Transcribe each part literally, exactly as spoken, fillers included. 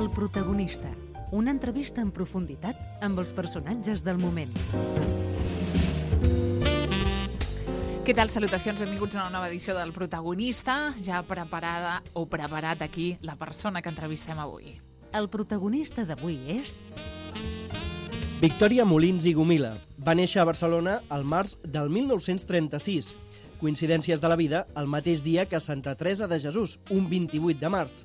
El protagonista. Una entrevista en profunditat amb els personatges del moment. Què tal? Salutacions, benvinguts a una nova edició del Protagonista. Ja preparada o preparat aquí la persona que entrevistem avui. El protagonista d'avui és... Victòria Molins i Gomila. Va néixer a Barcelona al març del mil nou-cents trenta-sis. Coincidències de la vida, el mateix dia que Santa Teresa de Jesús, un vint-i-vuit de març.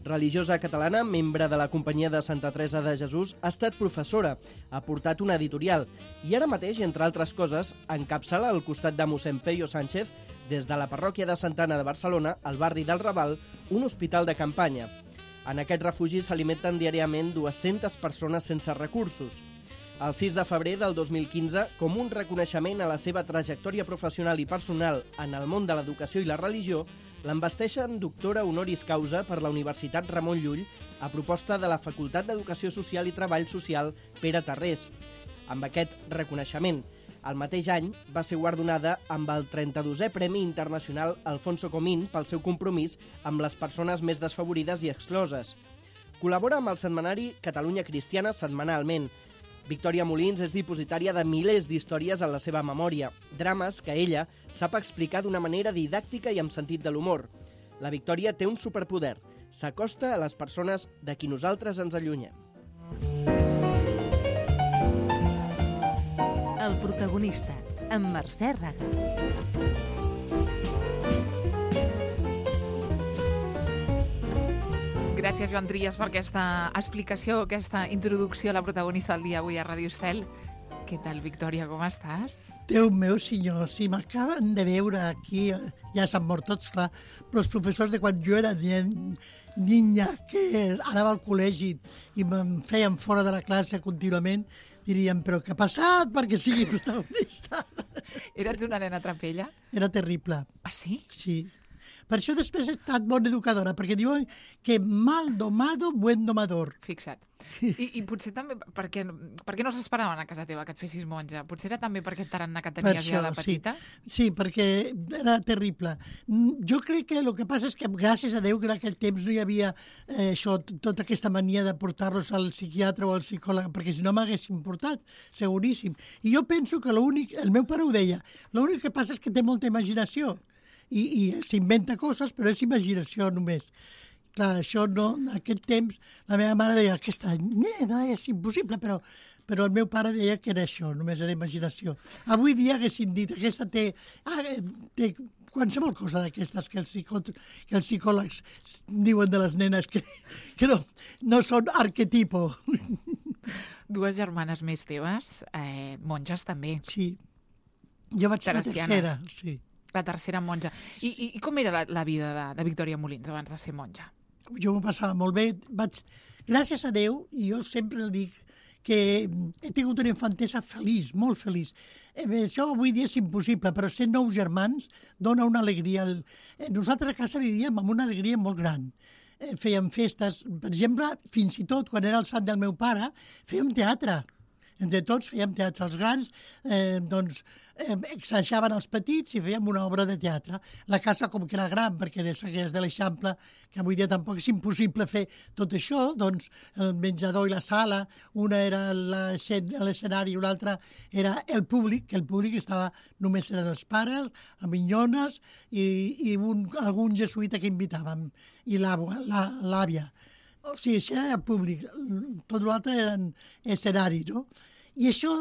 Religiosa catalana, membre de la Companyia de Santa Teresa de Jesús, ha estat professora, ha portat una editorial i ara mateix, entre altres coses, encapçala al costat de mossèn Peyo Sánchez, des de la parròquia de Santa Anna de Barcelona, al barri del Raval, un hospital de campanya. En aquest refugi s'alimenten diàriament dues-centes persones sense recursos. El sis de febrer del dos mil quinze, com un reconeixement a la seva trajectòria professional i personal en el món de l'educació i la religió, l'envesteixen doctora honoris causa per la Universitat Ramon Llull a proposta de la Facultat d'Educació Social i Treball Social Pere Tarrés. Amb aquest reconeixement, el mateix any va ser guardonada amb el trenta-dosè Premi Internacional Alfonso Comín pel seu compromís amb les persones més desfavorides i excloses. Col·labora amb el setmanari Catalunya Cristiana setmanalment. Victòria Molins és dipositària de milers d'històries en la seva memòria, drames que ella sap explicar d'una manera didàctica i amb sentit de l'humor. La Victòria té un superpoder, s'acosta a les persones de qui nosaltres ens allunyem. El protagonista, amb Mercè Raga. Gràcies, Joan Trias, per aquesta explicació, aquesta introducció a la protagonista del dia avui a Ràdio Estel. Què tal, Victòria, com estàs? Déu meu senyor, si m'acaben de veure aquí, ja s'han mort tots, clar, però els professors de quan jo era niña, que anava al col·legi i em feien fora de la classe contínuament, dirien, però què ha passat perquè sigui protagonista? Eres una nena trapella? Era terrible. Ah, sí? Sí. Per això després he estat bona educadora, perquè diuen que mal domado, buen domador. Fixa't. I, i potser també, perquè, perquè no s'esperaven a casa teva que et fessis monja? Potser era també per aquest tarannà que tenies ja de petita? Sí. sí, perquè era terrible. Jo crec que el que passa és que, gràcies a Déu, que en aquell temps no hi havia eh, això, tota aquesta mania de portar-los al psiquiatre o al psicòleg, perquè si no m'haguessin portat, seguríssim. I jo penso que l'únic, el meu pare ho deia, l'únic que passa és que té molta imaginació. I, i s'inventa coses, però és imaginació només. Clar, això no, en aquest temps, la meva mare deia, aquesta nena és impossible, però, però el meu pare deia que era això, només era imaginació. Avui dia haguessin dit, aquesta té, ah, té qualsevol cosa d'aquestes que els, psicò, que els psicòlegs diuen de les nenes que, que no, no són arquetipo. Dues germanes més teves, eh, monges també. Sí, jo vaig ser la tercera, sí. La tercera monja. I, i, i com era la, la vida de, de Victòria Molins abans de ser monja? Jo m'ho passava molt bé. Vaig, gràcies a Déu, i jo sempre dic que he tingut una infantesa feliç, molt feliç. Eh, això avui dia és impossible, però ser nou germans dona una alegria. Nosaltres a casa vivíem amb una alegria molt gran. Eh, fèiem festes, per exemple, fins i tot quan era el sant del meu pare, fèiem teatre. Entre tots fèiem teatre. Els grans eh, doncs, eh, exajaven els petits i fèiem una obra de teatre. La casa com que era gran, perquè és de l'Eixample, que avui dia tampoc és impossible fer tot això, doncs el menjador i la sala, una era l'escenari i una altra era el públic, que el públic estava, només eren els pares, les minyones i, i un, algun jesuïta que invitàvem, i l'àvia. O sigui, això era el públic, tot l'altre eren escenari, no? I això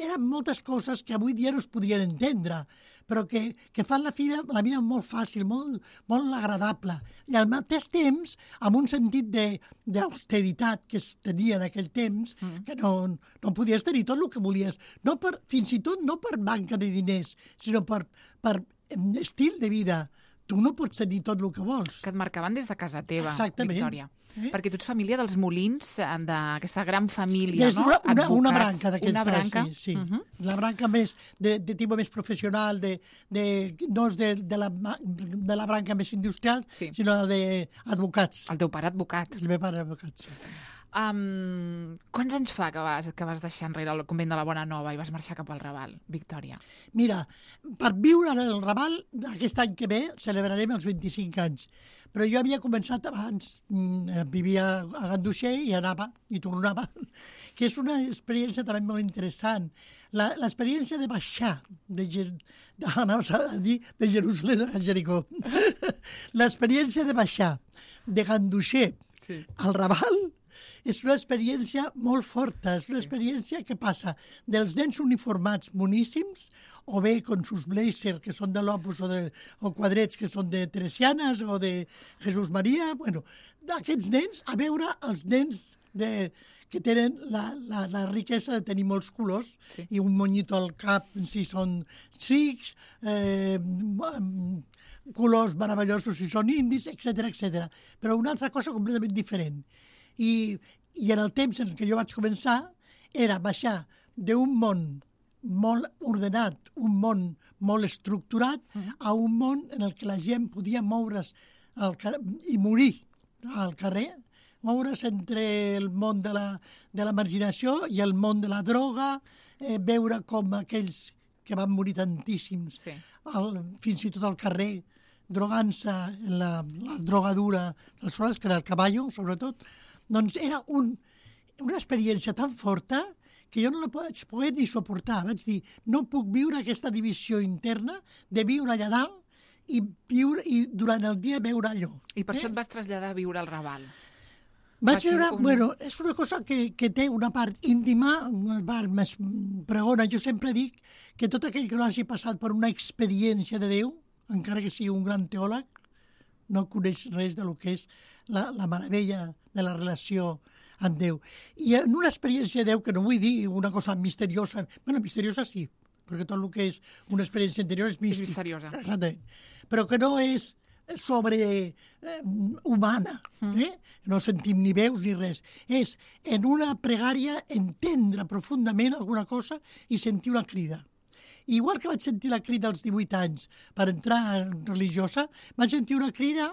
eren moltes coses que avui dia no es podrien entendre, però que, que fan la vida, la vida molt fàcil, molt, molt agradable. I al mateix temps, amb un sentit d'austeritat que es tenia en aquell temps, mm. que no, no podies tenir tot el que volies. No per, fins i tot no per manca de diners, sinó per, per estil de vida. Tu no pots tenir tot el que vols. Que et marcaven des de casa teva, exactament. Victòria. Eh? Perquè tu ets família dels Molins, d'aquesta gran família, és no? Una, una, Advocats, una branca d'aquests una branca. Sí, sí. Uh -huh. La branca més de, de tipus més professional, de, de, no és de, de, la, de la branca més industrial, sí. sinó d'advocats. El teu pare advocat. El meu pare advocat, sí. Um, quants anys fa que vas, que vas deixar enrere el convent de la Bona Nova i vas marxar cap al Raval, Victòria? Mira, per viure en el Raval, aquest any que ve celebrarem els vint-i-cinc anys. Però jo havia començat abans, mm, vivia a Ganduxer i anava i tornava, que és una experiència també molt interessant. La- L'experiència de baixar, de, Jer- de, anaves a dir de Jerusalem a Jericó, l'experiència de baixar de Ganduxer Sí. al Raval és una experiència molt forta, és una experiència que passa dels nens uniformats boníssims, o bé con sus blazers, que són de l'Opus, o, de, o quadrets, que són de Teresianes, o de Jesús Maria, bueno, d'aquests nens, a veure els nens de, que tenen la, la, la riquesa de tenir molts colors, Sí. i un monyito al cap, si són sikhs, eh, mm, colors meravellosos si són indis, etcètera, etcètera. Però una altra cosa completament diferent. I, I en el temps en què jo vaig començar era baixar d'un món molt ordenat, un món molt estructurat, uh-huh. a un món en el que la gent podia moure's al car- i morir al carrer, moure's entre el món de la, de la marginació i el món de la droga, eh, veure com aquells que van morir tantíssims, Sí. al, fins i tot al carrer, drogant-se en la, la drogadura dels soles, que era el caballo, sobretot, doncs era un, una experiència tan forta que jo no la vaig poder ni suportar. Vaig dir, no puc viure aquesta divisió interna de viure allà dalt i, viure, i durant el dia veure allò. I per eh? això et vas traslladar a viure al Raval. Vaig Va ser veure, un- bueno, és una cosa que, que té una part íntima, una part més pregona. Jo sempre dic que tot aquell que no hagi passat per una experiència de Déu, encara que sigui un gran teòleg, no coneix res de lo que és la, la meravella de la relació amb Déu. I en una experiència de Déu, que no vull dir una cosa misteriosa, bueno, misteriosa sí, perquè tot el que és una experiència interior és místic. misteriosa. Exactament. Però que no és sobre eh, humana, eh? No sentim ni veus ni res. És en una pregària entendre profundament alguna cosa i sentir una crida. Igual que vaig sentir la crida als divuit anys per entrar en religiosa, vaig sentir una crida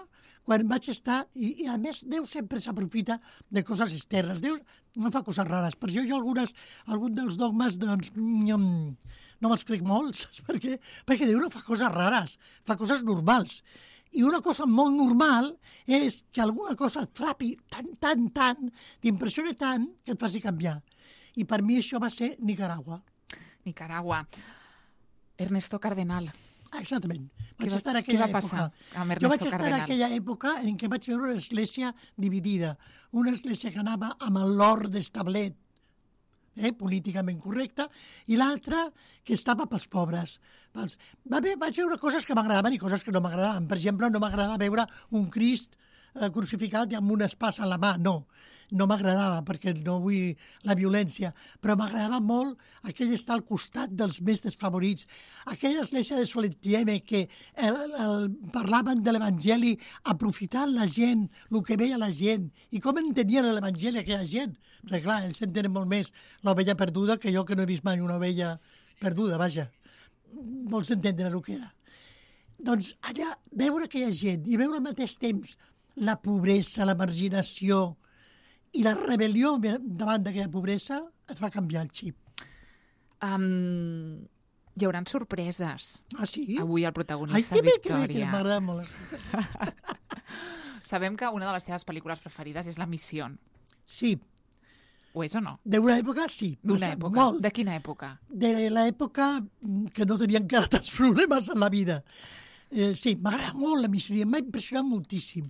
quan vaig estar, i, i a més Déu sempre s'aprofita de coses externes. Déu no fa coses rares. Per això jo algunes, algun dels dogmes doncs, no, no me'ls crec molt, saps per què? Perquè Déu no fa coses rares, fa coses normals. I una cosa molt normal és que alguna cosa et frapi tant, tant, tant, t'impressioni tant, que et faci canviar. I per mi això va ser Nicaragua. Nicaragua. Ernesto Cardenal. Ah, exactament. Què Vaig va- estar en què aquella va passar època. amb Jo Ernesto vaig estar en Cardenal? aquella època en què vaig veure una església dividida. Una església que anava amb l'or d'establet, eh, políticament correcta, i l'altra que estava pels pobres. Pels... Va bé, vaig veure coses que m'agradaven i coses que no m'agradaven. Per exemple, no m'agradava veure un Crist eh, crucificat i amb una espasa a la mà, no. No m'agradava perquè no vull la violència, però m'agradava molt aquell estar al costat dels més desfavorits. Aquella església de Solentieme que el, el, parlaven de l'Evangeli aprofitant la gent, el que veia la gent, i com entenien l'Evangeli aquella gent. Perquè clar, ells entenen molt més l'ovella perduda que jo que no he vist mai una ovella perduda, vaja. Vols entendre el que era. Doncs allà, veure aquella gent i veure al mateix temps la pobresa, la marginació, i la rebel·lió davant d'aquella pobresa et va canviar el xip. Um, hi haurà sorpreses. Ah, sí? Avui el Ai, protagonista, que bé, que bé, que Victòria. m'agrada molt. les sorpreses. Sabem que una de les teves pel·lícules preferides és La Missió. Sí, Ho és o no? d'una època sí. D'una passa època. Molt. De quina època? De l'època que no tenia encara tants problemes en la vida. Eh, sí, m'agrada molt la missió, m'ha impressionat moltíssim.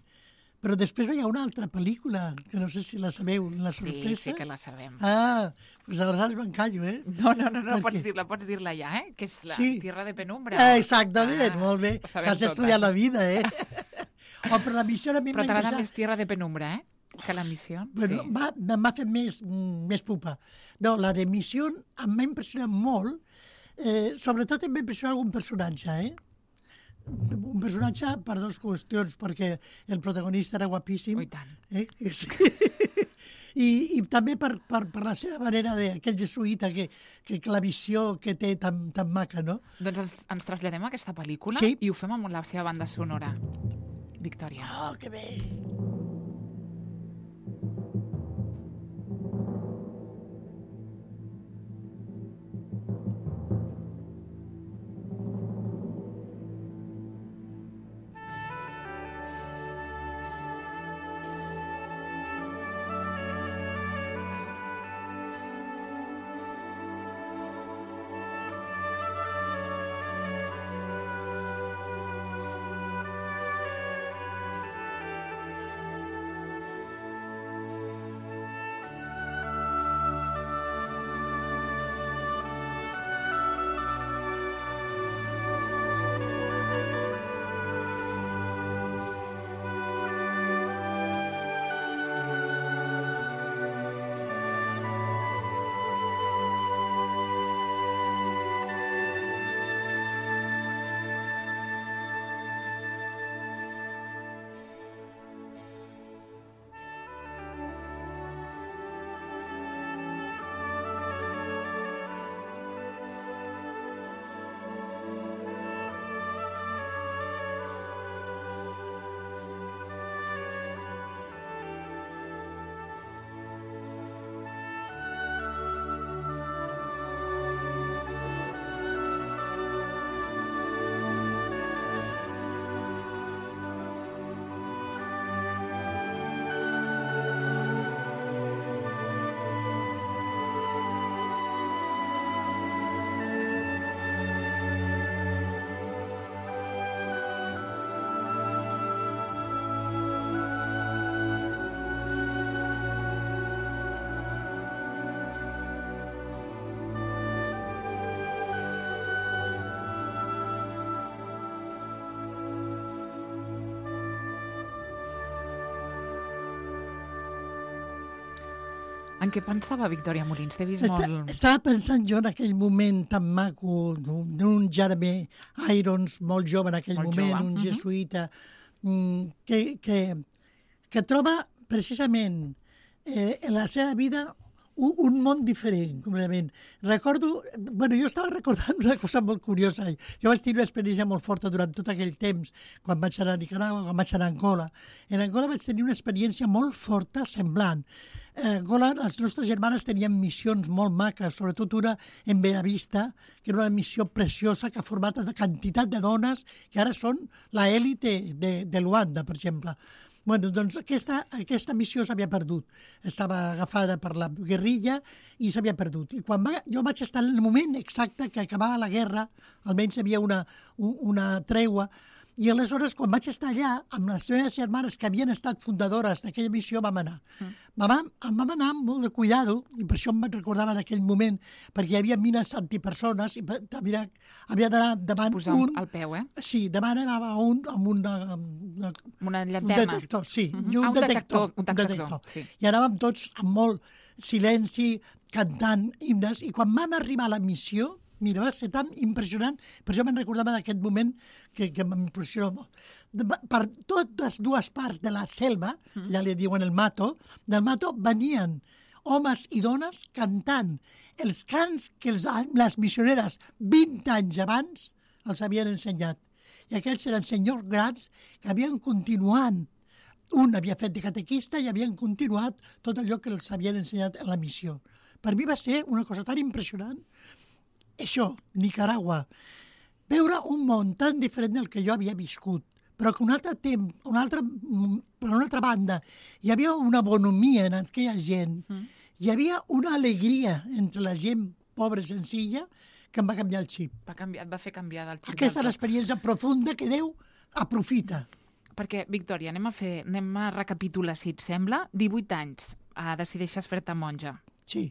Però després hi ha una altra pel·lícula, que no sé si la sabeu, La Sí, sorpresa. sí que la sabem. Ah, doncs aleshores m'encallo, eh? No, no, no, no Per pots què? dir-la, pots dir-la ja, eh? Que és la Sí. Tierra de Penumbra. Ah, exactament, Ah, molt bé. ho sabem Has totes. estudiat la vida, eh? Oh, però la missió a mi Però m'ha t'agrada impressionat. més Tierra de Penumbra, eh? Que La Missió. Bueno, Sí. va, me'n va fer més, mm, més pupa. No, la de Missió em va impressionar molt, eh, sobretot em va impressionar algun personatge, eh? Un personatge per dues qüestions, perquè el protagonista era guapíssim. Oh, i tant. Eh? que sí. I, I també per, per, per la seva manera d'aquell jesuïta que, que, que la visió que té tan, tan maca, no? Doncs ens, ens traslladem a aquesta pel·lícula Sí. i ho fem amb la seva banda sonora. Victòria. Oh, que bé! En què pensava Victòria Molins? T'he vist Està, molt... Estava pensant jo en aquell moment tan maco d'un d'un Jeremy Irons, molt jove en aquell Molt moment, jove. un Mhm. jesuïta, mm, que, que, que troba precisament eh, en la seva vida un, un món diferent, completament. Recordo, bueno, jo estava recordant una cosa molt curiosa. Jo vaig tenir una experiència molt forta durant tot aquell temps, quan vaig anar a Nicaragua, quan vaig anar a Angola. En Angola vaig tenir una experiència molt forta, semblant. A Angola, les nostres germanes tenien missions molt maques, sobretot una en Benavista, que era una missió preciosa que ha format una quantitat de dones que ara són l'élite de, de Luanda, per exemple. Bueno, doncs aquesta, aquesta missió s'havia perdut. Estava agafada per la guerrilla i s'havia perdut. I quan va, jo vaig estar en el moment exacte que acabava la guerra, almenys hi havia una, una tregua, i aleshores, quan vaig estar allà, amb les meves germanes que havien estat fundadores d'aquella missió, vam anar. Mm. Vam, vam anar amb molt de cuidado, i per això em recordava d'aquell moment, perquè hi havia mines antipersones, i havia, havia d'anar davant Posar un... al peu, eh? Sí, davant anava un amb una... una Una un llanterna. detector, sí. Mhm. I un, Ah, un detector, detector, un detector, sí. I anàvem tots amb molt silenci, cantant himnes, i quan vam arribar a la missió, mira, va ser tan impressionant, per això me'n recordava d'aquest moment que, que m'impressiona molt. De, per totes dues parts de la selva, mm. ja li diuen el mato, del mato venien homes i dones cantant els cants que els, les missioneres vint anys abans els havien ensenyat. I aquells eren senyors grans que havien continuat. Un havia fet de catequista i havien continuat tot allò que els havien ensenyat en la missió. Per mi va ser una cosa tan impressionant. Això, Nicaragua, veure un món tan diferent del que jo havia viscut, però que un altre temps, un altre, per una altra banda, hi havia una bonomia en aquella gent, mm. hi havia una alegria entre la gent pobra i senzilla que em va canviar el xip. Va canviar, et va fer canviar del xip. Aquesta és l'experiència profunda que Déu aprofita. Perquè, Victòria, anem a fer, anem a recapitular, si et sembla. divuit anys, uh, decideixes fer-te monja. Sí.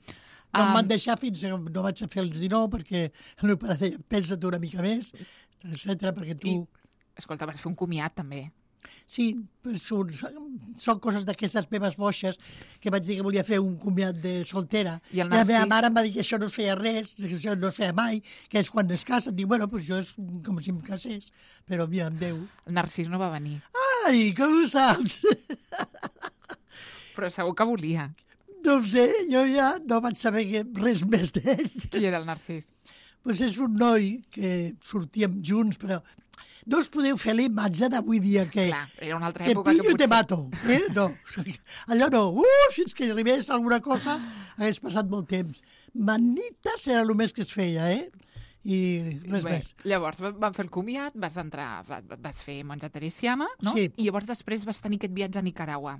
No Um, em van deixar fins que no vaig a fer els dinou, perquè el meu pare deia, pensa't una mica més, etcètera, perquè tu... I, escolta, vas fer un comiat, també. Sí, són, són coses d'aquestes meves boixes que vaig dir que volia fer un comiat de soltera. I el I la meva Narcís? mare em va dir que això no es feia res, que això no es feia mai, que és quan es casa. Dic, bueno, doncs jo és com si em casés, però mira, amb Déu. El Narcís no va venir, Ai, com ho saps? però segur que volia. No ho sé, jo ja no vaig saber res més d'ell. Qui era el Narcís? Pues és un noi que sortíem junts, però no us podeu fer la imatge d'avui dia que... Clar, era una altra Te època pillo que i te potser... mato. Eh? No, allò no. Uh, fins que arribés alguna cosa hagués passat molt temps. Manites era el més que es feia, eh? I res Bé, més. llavors van fer el comiat, vas entrar, va- vas fer monja teresiana, no? Sí. I llavors després vas tenir aquest viatge a Nicaragua.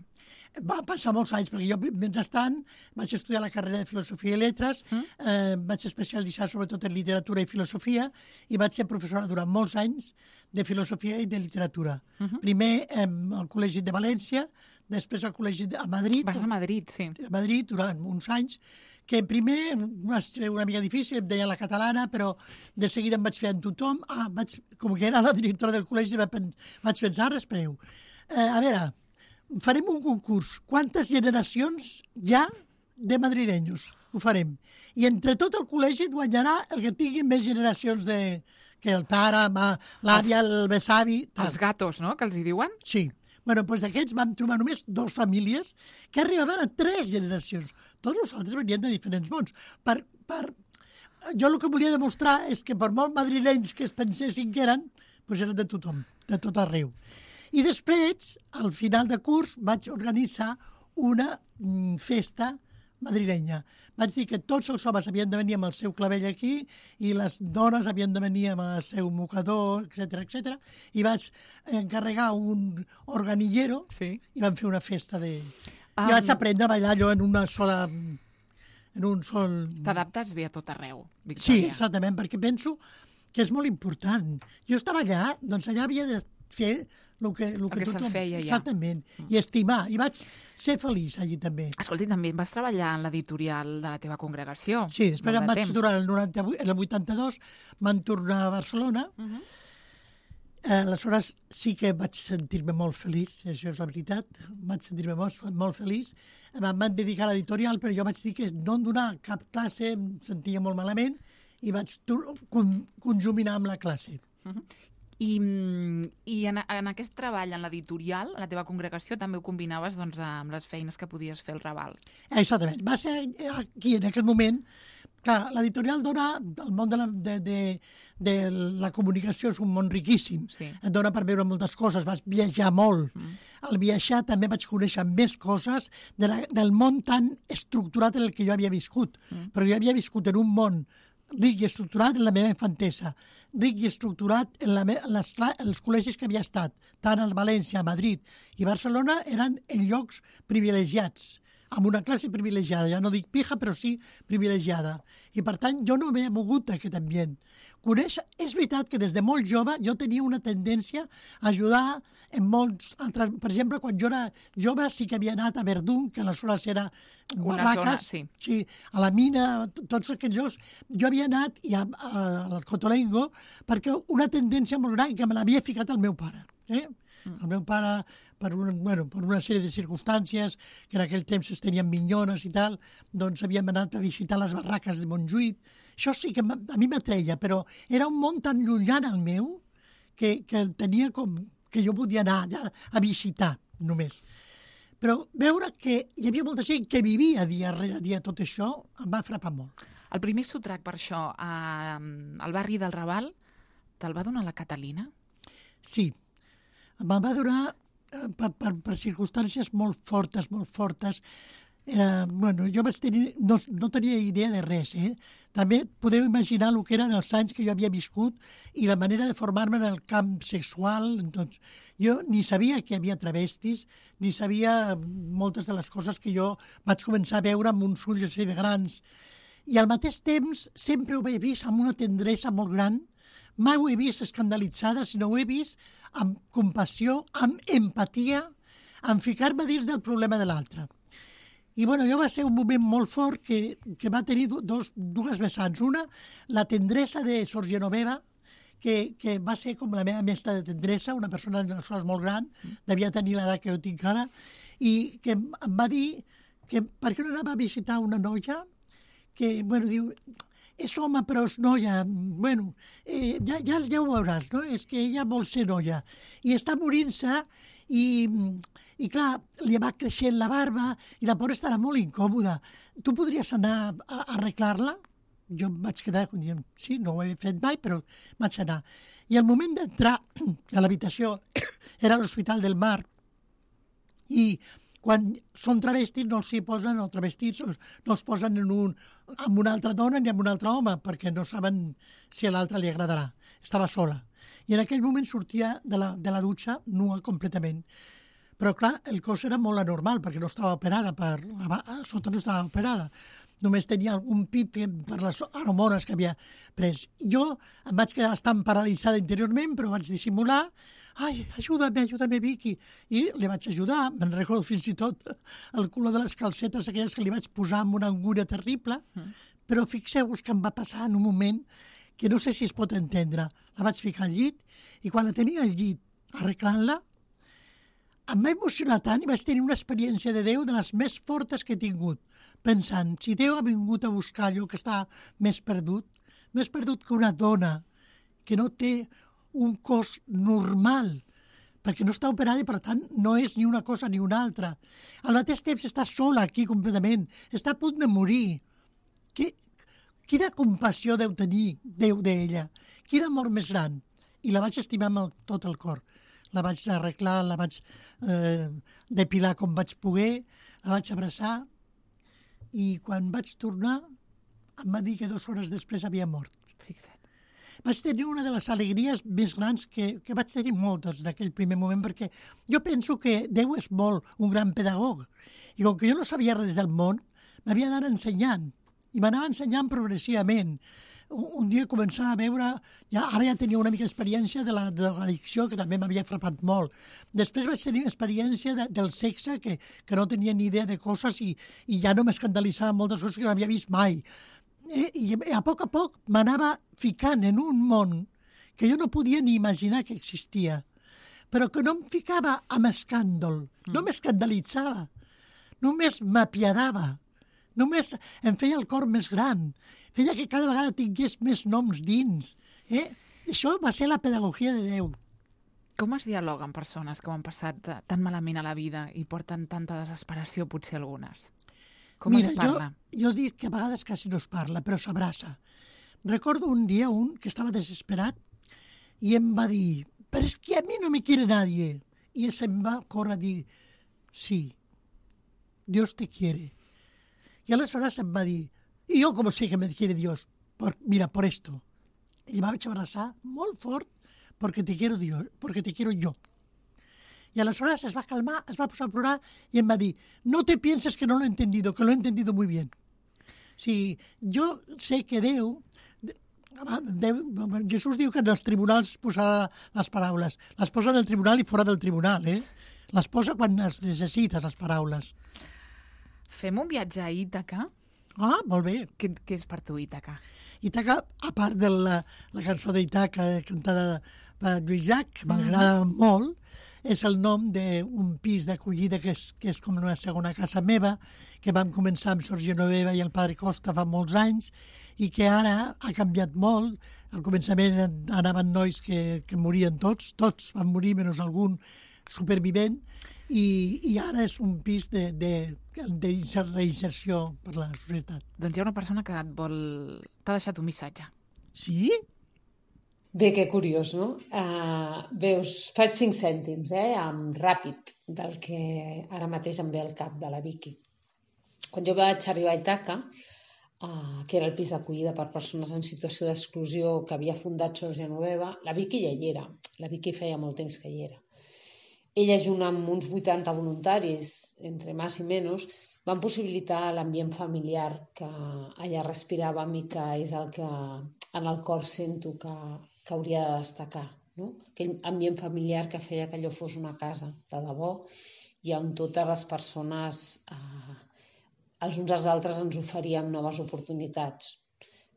Va passar molts anys, perquè jo, mentrestant, vaig estudiar la carrera de Filosofia i Lletres, mm? eh, vaig especialitzar sobretot en literatura i filosofia, i vaig ser professora durant molts anys de filosofia i de literatura. Uh -huh. Primer eh, al Col·legi de València, després al Col·legi de, a Madrid. Vas a Madrid, sí. A Madrid durant uns anys, que primer va ser una mica difícil, em deia la catalana, però de seguida em vaig fer en tothom. Ah, vaig, com que era la directora del col·legi, vaig pensar, espereu. Eh, a veure, farem un concurs. Quantes generacions hi ha de madrilenyos? Ho farem. I entre tot el col·legi guanyarà el que tingui més generacions de... que el pare, l'àvia, el besavi... Els gatos, no?, que els hi diuen? Sí. Bueno, doncs d'aquests vam trobar només dues famílies que arribaven a tres generacions. Tots els altres venien de diferents mons. Per, per... Jo el que volia demostrar és que per molt madrilenys que es pensessin que eren, doncs eren de tothom, de tot arreu. I després, al final de curs, vaig organitzar una mm, festa madrilenya. Vaig dir que tots els homes havien de venir amb el seu clavell aquí i les dones havien de venir amb el seu mocador, etcètera, etcètera. I vaig encarregar un organillero Sí. i vam fer una festa de... Um, I vaig aprendre a ballar allò en una sola... en un sol... T'adaptes bé a tot arreu, Sí, Victòria. exactament, perquè penso que és molt important. Jo estava allà, doncs allà havia de fer el que, el que, que tothom... se'n feia ja. Exactament, i estimar. I vaig ser feliç allí també. Escolta, i també vas treballar en l'editorial de la teva congregació. Sí, després molt em de vaig temps. durant el noranta-vuit, el vuitanta-dos, van tornar a Barcelona. Uh -huh. Eh, aleshores sí que vaig sentir-me molt feliç, això és la veritat, vaig sentir-me molt, molt feliç. Em van dedicar a l'editorial, però jo vaig dir que no em donar cap classe, em sentia molt malament, i vaig con, conjuminar amb la classe. Uh-huh. I, i en, en aquest treball, en l'editorial, a la teva congregació, també ho combinaves doncs, amb les feines que podies fer al Raval. Exactament. Va ser aquí, en aquest moment. Clar, l'editorial dona, el món de la, de, de, de la comunicació és un món riquíssim. Sí. Et dona per veure moltes coses, vas viatjar molt. Mm. Al viatjar també vaig conèixer més coses de la, del món tan estructurat en el que jo havia viscut. Mm. Però jo havia viscut en un món ric i estructurat en la meva infantesa, ric i estructurat en, la, en, les, en els col·legis que havia estat, tant a València, a Madrid i Barcelona, eren en llocs privilegiats, amb una classe privilegiada, ja no dic pija, però sí privilegiada. I, per tant, jo no m'he mogut d'aquest ambient. Conèixer, és veritat que des de molt jove jo tenia una tendència a ajudar en molts altres... Per exemple, quan jo era jove sí que havia anat a Verdun, que aleshores era barraques, sí. Sí, a la mina, tots aquests llocs. Jo havia anat i a, a, al Cotolengo perquè una tendència molt gran que me l'havia ficat el meu pare. Eh? Mm. El meu pare, per, un, bueno, per una sèrie de circumstàncies, que en aquell temps es tenien minyones i tal, doncs havíem anat a visitar les barraques de Montjuïc. Això sí que a mi m'atreia, però era un món tan llunyà al meu que, que tenia com que jo podia anar allà a visitar només. Però veure que hi havia molta gent que vivia dia rere dia tot això em va frapar molt. El primer sotrac per això a, al barri del Raval te'l va donar la Catalina? Sí, me'l va donar per, per, per circumstàncies molt fortes, molt fortes. Era, bueno, jo vaig tenir, no, no tenia idea de res, eh? També podeu imaginar el que eren els anys que jo havia viscut i la manera de formar-me en el camp sexual. Doncs, jo ni sabia que hi havia travestis, ni sabia moltes de les coses que jo vaig començar a veure amb uns ulls així de grans. I al mateix temps sempre ho he vist amb una tendresa molt gran. Mai ho he vist escandalitzada, sinó ho he vist amb compassió, amb empatia, amb ficar-me dins del problema de l'altre. I bueno, jo va ser un moment molt fort que, que va tenir dos, dues vessants. Una, la tendresa de Sor Genoveva, que, que va ser com la meva mestra de tendresa, una persona d'aleshores molt gran, devia tenir l'edat que jo tinc ara, i que em va dir que per què no anava a visitar una noia que, bueno, diu, és home però és noia, bueno, eh, ja, ja, ja ho veuràs, no? És que ella vol ser noia. I està morint-se i... I clar, li va creixent la barba i la pobra estarà molt incòmoda. Tu podries anar a, a arreglar-la? Jo em vaig quedar dient, sí, no ho he fet mai, però vaig anar. I al moment d'entrar a l'habitació, era l'Hospital del Mar, i quan són travestis no els hi posen, o travestits, no els posen en un, amb una altra dona ni amb un altre home, perquè no saben si a l'altre li agradarà. Estava sola. I en aquell moment sortia de la, de la dutxa nua completament. Però, clar, el cos era molt anormal, perquè no estava operada, per, a sota no estava operada. Només tenia algun pit per les hormones que havia pres. Jo em vaig quedar bastant paralitzada interiorment, però vaig dissimular. Ai, ajuda'm, ajuda'm, Vicky. I li vaig ajudar. Me'n recordo fins i tot el color de les calcetes aquelles que li vaig posar amb una angúnia terrible. Mm. Però fixeu-vos que em va passar en un moment que no sé si es pot entendre. La vaig ficar al llit i quan la tenia al llit arreglant-la, em va emocionar tant i vaig tenir una experiència de Déu de les més fortes que he tingut, pensant, si Déu ha vingut a buscar allò que està més perdut, més perdut que una dona que no té un cos normal, perquè no està operada i, per tant, no és ni una cosa ni una altra. Al mateix temps està sola aquí completament, està a punt de morir. Que, quina compassió deu tenir Déu d'ella, quin amor més gran. I la vaig estimar amb tot el cor. La vaig arreglar, la vaig eh, depilar com vaig poder, la vaig abraçar i quan vaig tornar em va dir que dues hores després havia mort. Fixa't. Vaig tenir una de les alegries més grans que, que vaig tenir moltes en aquell primer moment, perquè jo penso que Déu és molt un gran pedagog i com que jo no sabia res del món, m'havia d'anar ensenyant i m'anava ensenyant progressivament. Un dia començava a veure, ja, ara ja tenia una mica d'experiència de l'addicció, que també m'havia frapat molt. Després vaig tenir experiència de, del sexe, que, que no tenia ni idea de coses i, i ja no m'escandalitzava moltes coses que no havia vist mai. I, i a poc a poc m'anava ficant en un món que jo no podia ni imaginar que existia, però que no em ficava amb escàndol, no m'escandalitzava, només m'apiadava, només em feia el cor més gran, feia que cada vegada tingués més noms dins. Eh? Això va ser la pedagogia de Déu. Com es dialoga amb persones que ho han passat tan malament a la vida i porten tanta desesperació, potser algunes? Com Mira, es parla? Jo, jo dic que a vegades quasi no es parla, però s'abraça. Recordo un dia un que estava desesperat i em va dir, però és que a mi no me quiere nadie. I se'm va córrer a dir, sí, Dios te quiere. I aleshores em va dir, i jo com sé que me quiere Dios? Por, mira, por esto. I va vaig abraçar molt fort porque te quiero Dios, porque te quiero yo. Y aleshores es va calmar, es va posar a plorar y em va dir, no te pienses que no lo he entendido, que lo he entendido muy bien. Sí, jo sé que Déu, Déu, Jesús diu que en els tribunals posa les paraules. Les posa en el tribunal i fora del tribunal, eh? Les posa quan es necessites, les paraules. Fem un viatge a Ítaca? Ah, molt bé. Què, què és per tu Ítaca? Ítaca, a part de la, la cançó d'Ítaca cantada per Lluís Llach, que m'agrada mm-hmm. molt, és el nom d'un pis d'acollida que, és, que és com una segona casa meva, que vam començar amb Sor Genoveva i el Padre Costa fa molts anys i que ara ha canviat molt. Al començament anaven nois que, que morien tots, tots van morir, menys algun supervivent, i, i ara és un pis de, de, de reinserció per la societat. Doncs hi ha una persona que et vol... t'ha deixat un missatge. Sí? Bé, que curiós, no? Uh, bé, us faig cinc cèntims, eh, amb ràpid, del que ara mateix em ve al cap de la Vicky. Quan jo vaig arribar a Ítaca, uh, que era el pis d'acollida per persones en situació d'exclusió que havia fundat Sor Genoveva, la Vicky ja hi era. La Vicky feia molt temps que hi era. Ella, junt amb uns vuitanta voluntaris, entre més i menys, van possibilitar l'ambient familiar que allà respiràvem i que és el que en el cor sento que, que hauria de destacar. No? Aquell ambient familiar que feia que allò fos una casa de debò i on totes les persones, eh, els uns als altres, ens oferíem noves oportunitats.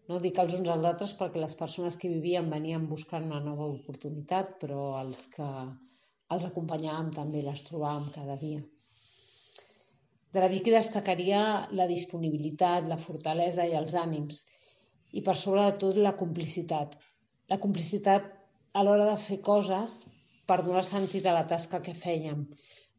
No dic els uns als altres perquè les persones que vivien venien buscant una nova oportunitat, però els que els acompanyàvem també, les trobàvem cada dia. De la Vicky destacaria la disponibilitat, la fortalesa i els ànims, i per sobre de tot la complicitat. La complicitat a l'hora de fer coses per donar sentit a la tasca que fèiem,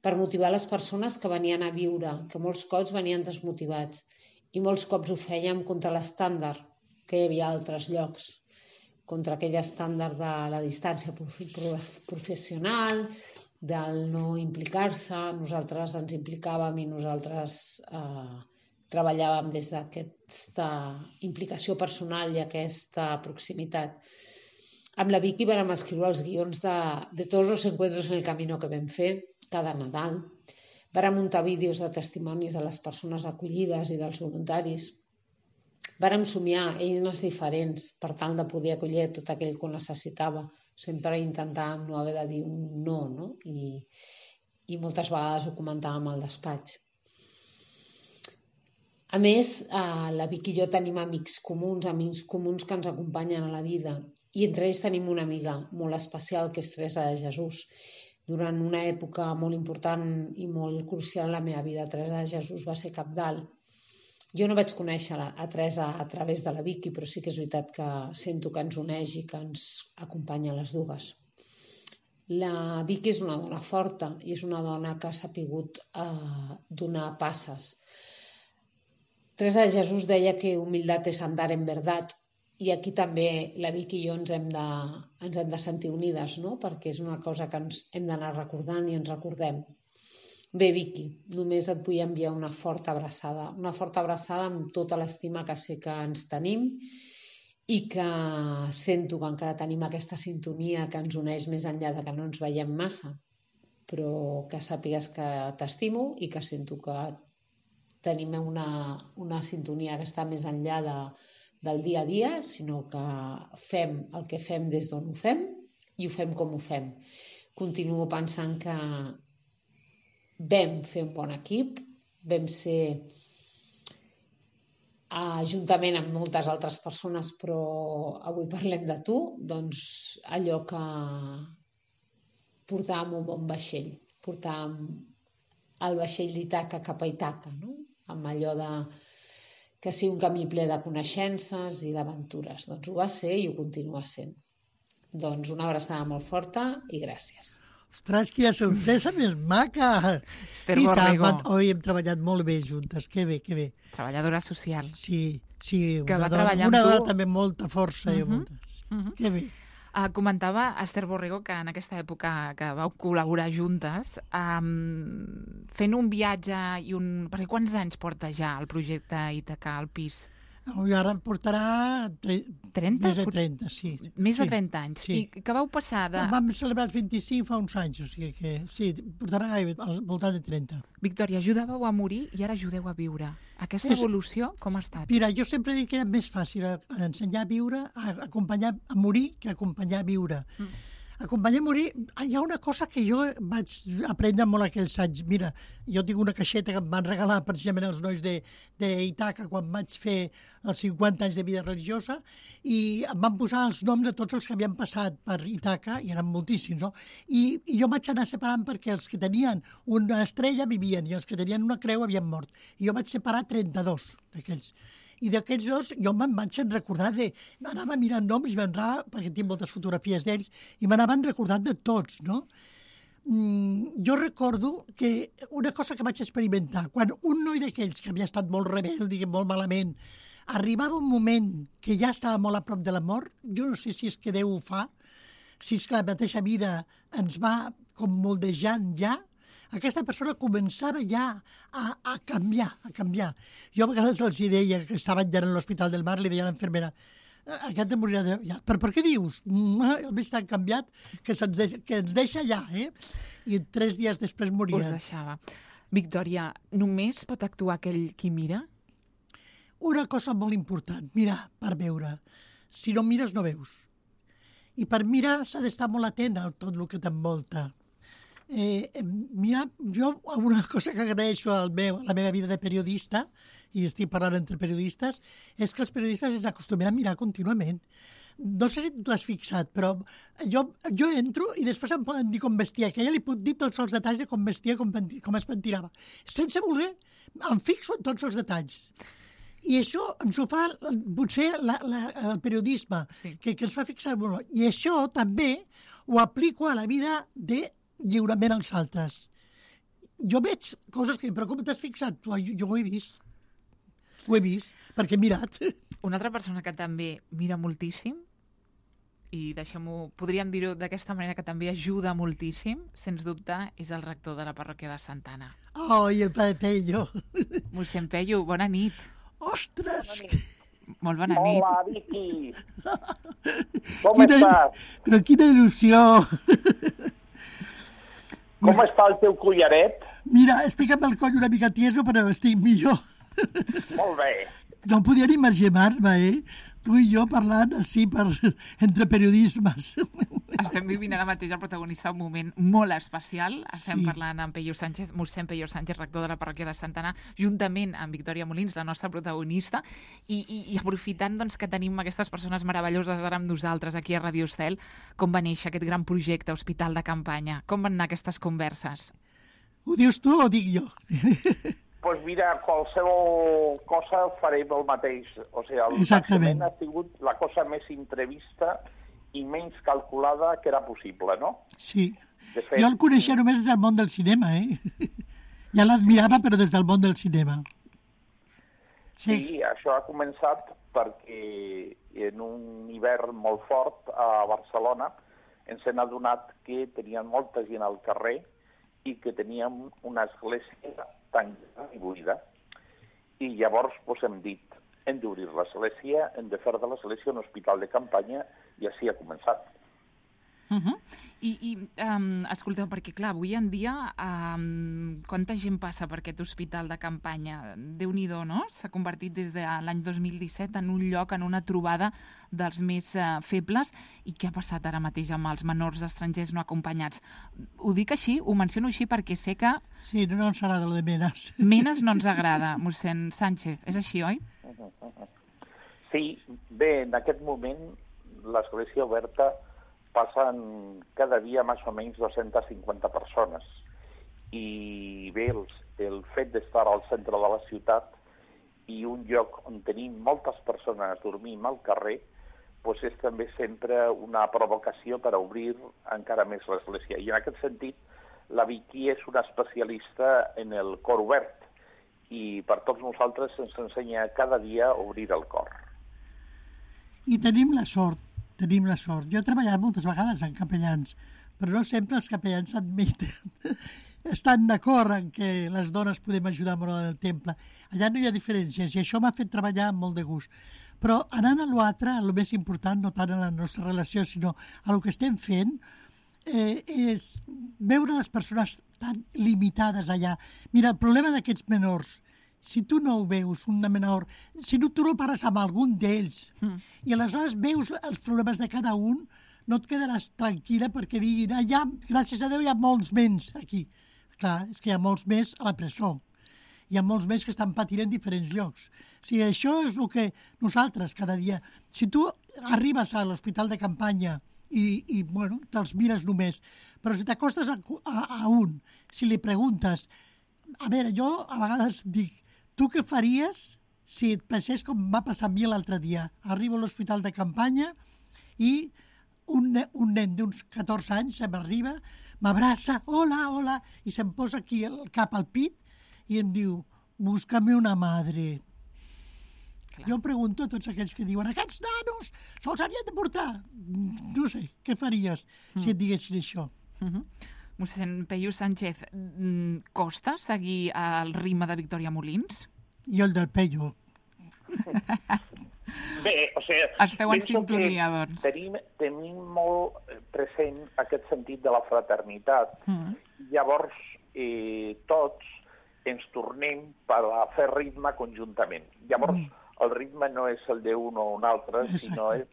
per motivar les persones que venien a viure, que molts cops venien desmotivats, i molts cops ho fèiem contra l'estàndard que hi havia a altres llocs, contra aquell estàndard de la distància professional, del no implicar-se. Nosaltres ens implicàvem i nosaltres eh, treballàvem des d'aquesta implicació personal i aquesta proximitat. Amb la Vicky vam escriure els guions de, de tots els encuentros en el camino que vam fer cada Nadal. Vam muntar vídeos de testimonis de les persones acollides i dels voluntaris. Vàrem somiar eines diferents per tal de poder acollir tot aquell que ho necessitava. Sempre intentàvem no haver de dir un no, no? I, i moltes vegades ho comentàvem al despatx. A més, eh, la Vicky i jo tenim amics comuns, amics comuns que ens acompanyen a la vida, i entre ells tenim una amiga molt especial que és Teresa de Jesús. Durant una època molt important i molt crucial en la meva vida, Teresa de Jesús va ser cabdal. Jo no vaig conèixer a Teresa a través de la Vicky, però sí que és veritat que sento que ens uneix i que ens acompanya a les dues. La Vicky és una dona forta i és una dona que ha sapigut eh, donar passes. Teresa de Jesús deia que humilitat és andar en verdad, i aquí també la Vicky i jo ens hem de, ens hem de sentir unides, no? Perquè és una cosa que ens hem d'anar recordant i ens recordem. Bé, Vicky, només et vull enviar una forta abraçada, una forta abraçada amb tota l'estima que sé que ens tenim i que sento que encara tenim aquesta sintonia que ens uneix més enllà de que no ens veiem massa, però que sàpigues que t'estimo i que sento que tenim una, una sintonia que està més enllà de, del dia a dia, sinó que fem el que fem des d'on ho fem i ho fem com ho fem. Continuo pensant que vam fer un bon equip, vam ser Uh, juntament amb moltes altres persones, però avui parlem de tu, doncs allò que portàvem un bon vaixell, portàvem el vaixell d'Itaca cap a Itaca, no? Amb allò de que sigui un camí ple de coneixences i d'aventures. Doncs ho va ser i ho continua sent. Doncs una abraçada molt forta i gràcies. Ostres, quina sorpresa més maca! Esther I Borrego. tant, oi, hem treballat molt bé juntes, que bé, que bé. Treballadora social. Sí, sí, Que una va dona, treballar amb una tu. dona també amb molta força i Mhm, moltes. mhm. Que bé. Uh, comentava Esther Borrego que en aquesta època que vau col·laborar juntes, um, fent un viatge i un... Perquè quants anys porta ja el projecte Ítaca al pis? I ara em portarà tre... trenta? més de trenta, sí. Més de Sí, trenta anys. sí. I que vau passar de... Vam celebrar els vint-i-cinc fa uns anys, o sigui que sí, portarà gairebé al voltant de trenta. Victòria, ajudàveu a morir i ara ajudeu a viure. Aquesta És- evolució com ha estat? Mira, jo sempre dic que era més fàcil a- a ensenyar a viure, a acompanyar a morir, que acompanyar a viure. Mm. Acompanyar a morir, hi ha una cosa que jo vaig aprendre molt aquells anys. Mira, jo tinc una caixeta que em van regalar precisament els nois d'Itaca quan vaig fer els cinquanta anys de vida religiosa i em van posar els noms de tots els que havien passat per Itaca, i eren moltíssims, no? I, i jo vaig anar separant perquè els que tenien una estrella vivien i els que tenien una creu havien mort. I jo vaig separar trenta-dos d'aquells. I d'aquells dos jo me'n vaig recordar de... Anava mirant noms i m'anava, perquè tinc moltes fotografies d'ells, i m'anaven recordant de tots, no? Mm, jo recordo que una cosa que vaig experimentar, quan un noi d'aquells que havia estat molt rebel, diguem, molt malament, arribava un moment que ja estava molt a prop de la mort, jo no sé si és que Déu ho fa, si és que la mateixa vida ens va com moldejant ja, aquesta persona començava ja a, a canviar, a canviar. Jo a vegades els deia que estaven ja en l'Hospital del Mar, li deia a l'infermera, aquest morirà de... Ja. Però per què dius? Mm, el veig tan canviat que, se'ns deixa, que ens deixa ja, eh? I tres dies després moria. Us deixava. Victòria, només pot actuar aquell qui mira? Una cosa molt important, mirar per veure. Si no mires, no veus. I per mirar s'ha d'estar molt atent a tot el que t'envolta. Eh, mira, jo una cosa que agraeixo al meu, a la meva vida de periodista, i estic parlant entre periodistes, és que els periodistes ens acostumen a mirar contínuament. No sé si tu has fixat, però jo, jo entro i després em poden dir com vestia, que ella li puc dir tots els detalls de com vestia, com, com es pentinava. Sense voler, em fixo en tots els detalls. I això ens ho fa potser la, la, el periodisme, Sí. que, que ens fa fixar molt. I això també ho aplico a la vida de lliurament als altres. Jo veig coses que em preocupen, t'has fixat? Tu, jo, jo ho he vist. Ho he vist, perquè he mirat. Una altra persona que també mira moltíssim, i deixem-ho, podríem dir-ho d'aquesta manera, que també ajuda moltíssim, sens dubte, és el rector de la parròquia de Santa Anna. Oh, i el Padre Pello. Mossèn Pello, bona nit. Ostres! Molt bona nit. Hola, Vicky. Com Quina, estàs? però quina il·lusió! Com està el teu collaret? Mira, estic amb el coll una mica tieso, però estic millor. Molt bé. No podien imaginar-me, eh? Tu i jo parlant així per, entre periodismes. Estem vivint ara mateix el protagonista un moment molt especial. Estem Sí. parlant amb Pello Sánchez, mossèn Pello Sánchez, rector de la parròquia de Santa Anna, juntament amb Victòria Molins, la nostra protagonista, i, i, i aprofitant doncs, que tenim aquestes persones meravelloses ara amb nosaltres aquí a Radio Estel, com va néixer aquest gran projecte Hospital de Campanya? Com van anar aquestes converses? Ho dius tu o ho dic jo? Doncs pues mira, qualsevol cosa farem el mateix. O sigui, el Exactament. naixement ha sigut la cosa més imprevista i menys calculada que era possible, no? Sí. De fet, Jo el coneixia només des del món del cinema, eh? Ja l'admirava, però des del món del cinema. Sí, sí, això ha començat perquè en un hivern molt fort a Barcelona ens hem adonat que tenien molta gent al carrer i que teníem una església tancada i buida. I llavors pues, hem dit, hem d'obrir l'església, hem de fer de l'església un hospital de campanya, i així ha començat. Uh -huh. I, i um, escolteu, perquè clar, avui en dia um, quanta gent passa per aquest hospital de campanya? Déu-n'hi-do, no? S'ha convertit des de l'any dos mil disset en un lloc, en una trobada dels més uh, febles. I què ha passat ara mateix amb els menors estrangers no acompanyats? Ho dic així, ho menciono així perquè sé que Sí, no ens agrada lo de menes. menes no ens agrada, mossèn Sánchez. És així, oi? Sí, bé, en aquest moment l'Església Oberta passen cada dia més o menys dues-centes cinquanta persones. I bé, el, el fet d'estar al centre de la ciutat i un lloc on tenim moltes persones dormint al carrer, doncs és també sempre una provocació per a obrir encara més l'església. I en aquest sentit, la Vicky és una especialista en el cor obert i per tots nosaltres ens ensenya cada dia a obrir el cor. I tenim la sort, tenim la sort. Jo he treballat moltes vegades en capellans, però no sempre els capellans admeten, estan d'acord en que les dones podem ajudar molt en el temple. Allà no hi ha diferències i això m'ha fet treballar amb molt de gust. Però anant a l'altre, el més important, no tant a la nostra relació, sinó a el que estem fent, eh, és veure les persones tan limitades allà. Mira, el problema d'aquests menors, si tu no ho veus, un menor, si no, tu no pares amb algun d'ells, mm. i aleshores veus els problemes de cada un, no et quedaràs tranquil·la perquè diguin, ah, ja, gràcies a Déu hi ha molts menys aquí. Clar, és que hi ha molts més a la presó. Hi ha molts més que estan patint en diferents llocs. O sigui, això és el que nosaltres cada dia... Si tu arribes a l'hospital de campanya i, i bueno, te'ls mires només, però si t'acostes a, a, a un, si li preguntes... A veure, jo a vegades dic, tu què faries si et passés com va passar a mi l'altre dia? Arribo a l'hospital de campanya i un, un nen d'uns catorze anys se m'arriba, m'abraça, hola, hola, i se'm posa aquí el cap al pit i em diu, búscame una madre. Clar. Jo pregunto a tots aquells que diuen, aquests nanos se'ls havien de portar. No sé, què faries mm. si et diguessin això? Mm-hmm. Mossèn Peyu Sánchez, costa seguir el ritme de Victòria Molins? Jo el del Peyu. Bé, o sigui... Esteu en sintonia, doncs. Tenim, tenim molt present aquest sentit de la fraternitat. Mm. Llavors, eh, tots ens tornem per a fer ritme conjuntament. Llavors, mm. el ritme no és el d'un o un altre, exacte, sinó és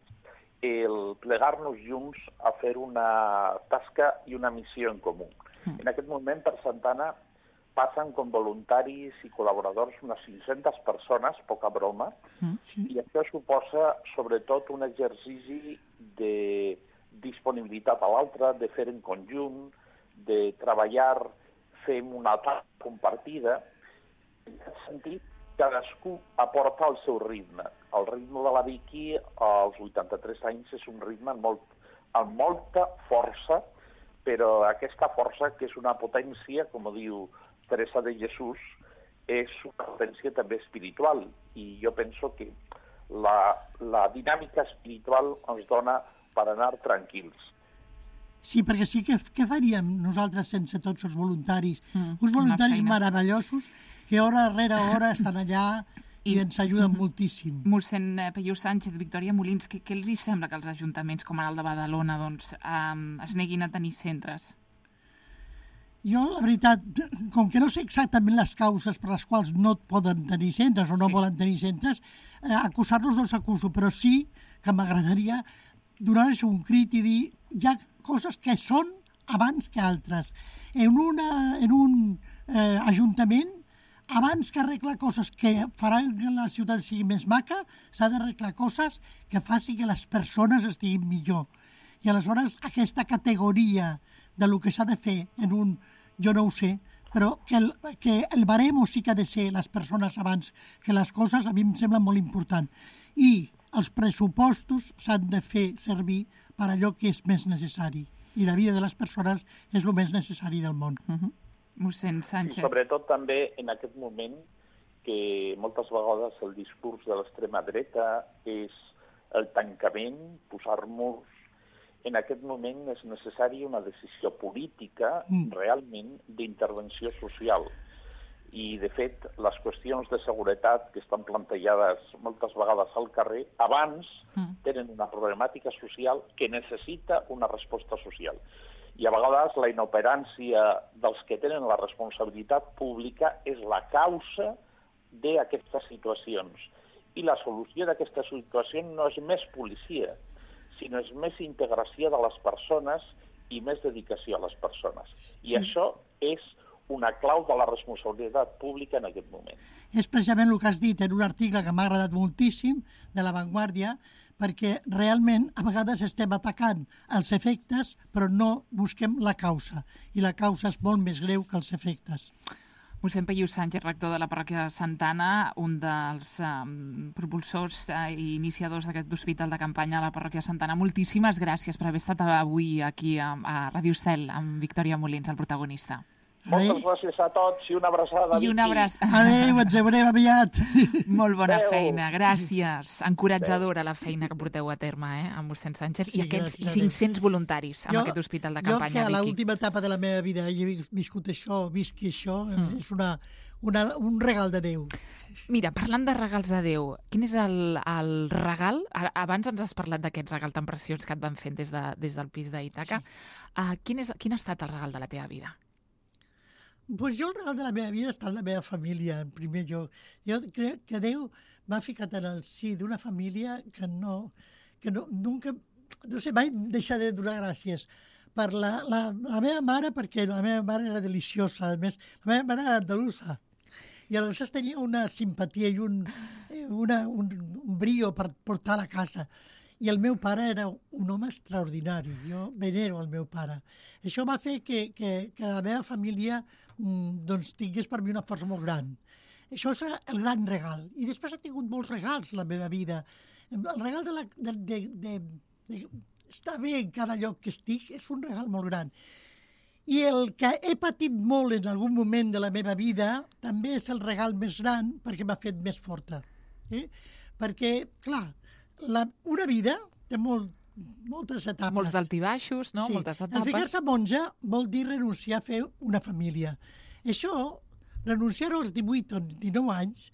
el plegar-nos junts a fer una tasca i una missió en comú. Mm. En aquest moment, per Santana, passen com voluntaris i col·laboradors unes cinc-centes persones, poca broma, mm. i això suposa, sobretot, un exercici de disponibilitat a l'altre, de fer en conjunt, de treballar, fem una tasca compartida. En aquest sentit, cadascú aporta el seu ritme. El ritme de la Vicky, als vuitanta-tres anys, és un ritme amb, molt, amb molta força, però aquesta força, que és una potència, com diu Teresa de Jesús, és una potència també espiritual. I jo penso que la, la dinàmica espiritual ens dona per anar tranquils. Sí, perquè sí que què faríem nosaltres sense tots els voluntaris? Mm, Uns voluntaris meravellosos que hora rere hora estan allà i, i ens ajuden mm, moltíssim. Mossèn Peyu Sánchez, Victòria Molins, què, què els hi sembla que els ajuntaments com ara el de Badalona doncs, um, es neguin a tenir centres? Jo, la veritat, com que no sé exactament les causes per les quals no poden tenir centres o no sí. volen tenir centres, eh, acusar-los no els acuso, però sí que m'agradaria donar-los un crit i dir hi ha coses que són abans que altres. En, una, en un eh, ajuntament, abans que arreglar coses que faran que la ciutat sigui més maca, s'ha d'arreglar coses que facin que les persones estiguin millor. I aleshores aquesta categoria de lo que s'ha de fer en un, jo no ho sé, però que el, que el baremo sí que ha de ser les persones abans que les coses, a mi em sembla molt important. I els pressupostos s'han de fer servir per allò que és més necessari. I la vida de les persones és el més necessari del món. Uh-huh. Mossèn Sánchez. I sobretot també en aquest moment que moltes vegades el discurs de l'extrema dreta és el tancament, posar murs. En aquest moment és necessària una decisió política mm. realment d'intervenció social. I, de fet, les qüestions de seguretat que estan plantejades moltes vegades al carrer, abans mm. tenen una problemàtica social que necessita una resposta social. I a vegades la inoperància dels que tenen la responsabilitat pública és la causa d'aquestes situacions. I la solució d'aquesta situació no és més policia, sinó és més integració de les persones i més dedicació a les persones. I sí. això és una clau de la responsabilitat pública en aquest moment. És precisament el que has dit en un article que m'ha agradat moltíssim, de La Vanguardia, perquè realment a vegades estem atacant els efectes però no busquem la causa, i la causa és molt més greu que els efectes. Mossèn Peyu Sánchez, rector de la parròquia de Santa Anna, un dels um, propulsors uh, i iniciadors d'aquest hospital de campanya a la parròquia de Santa Anna, moltíssimes gràcies per haver estat avui aquí a, a Ràdio Estel amb Victòria Molins, el protagonista. Moltes gràcies a tots i una abraçada. I una abraçada. Adéu, ens veurem aviat. Molt bona Adéu. feina, gràcies. Encoratjadora la feina que porteu a terme, eh, amb mossèn Sánchez, Sí, i aquests gràcies, cinc-cents voluntaris amb Jo- aquest hospital de Jo que campanya. a Vicky. l'última etapa de la meva vida he viscut això, visqui això, mm. és una, una, un regal de Déu. Mira, parlant de regals de Déu, quin és el, el regal? A- Abans ens has parlat d'aquest regal tan preciós que et van fent des, de, des del pis d'Ítaca. Sí. Uh, quin, és, quin ha estat el regal de la teva vida? Pues jo el regal de la meva vida està en la meva família, en primer lloc. Jo crec que Déu m'ha ficat en el si d'una família que no... que no, nunca, no sé, mai deixar de donar gràcies per la, la, la meva mare, perquè la meva mare era deliciosa, a més, la meva mare era andalusa, i aleshores tenia una simpatia i un, una, un, un brio per portar a la casa. I el meu pare era un home extraordinari, jo venero el meu pare. Això va fer que, que, que la meva família mm, doncs, tingués per mi una força molt gran. Això és el gran regal. I després he tingut molts regals a la meva vida. El regal de, la, de, de, de, de estar bé en cada lloc que estic és un regal molt gran. I el que he patit molt en algun moment de la meva vida també és el regal més gran perquè m'ha fet més forta. Eh? Perquè, clar, la, una vida té molt, moltes etapes. Molts d'altibaixos, no? Sí. Moltes El etapes. ficar-se monja vol dir renunciar a fer una família. Això, renunciar als divuit o dinou anys,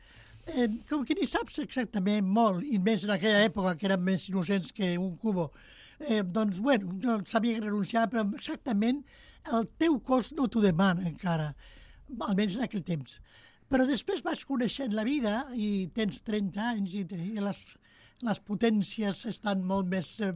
eh, com que ni saps exactament molt, i més en aquella època que eren més innocents que un cubo, eh, doncs, bueno, no sabia renunciar, però exactament el teu cos no t'ho demana encara, almenys en aquell temps. Però després vas coneixent la vida i tens trenta anys i, i les, les potències estan molt més eh,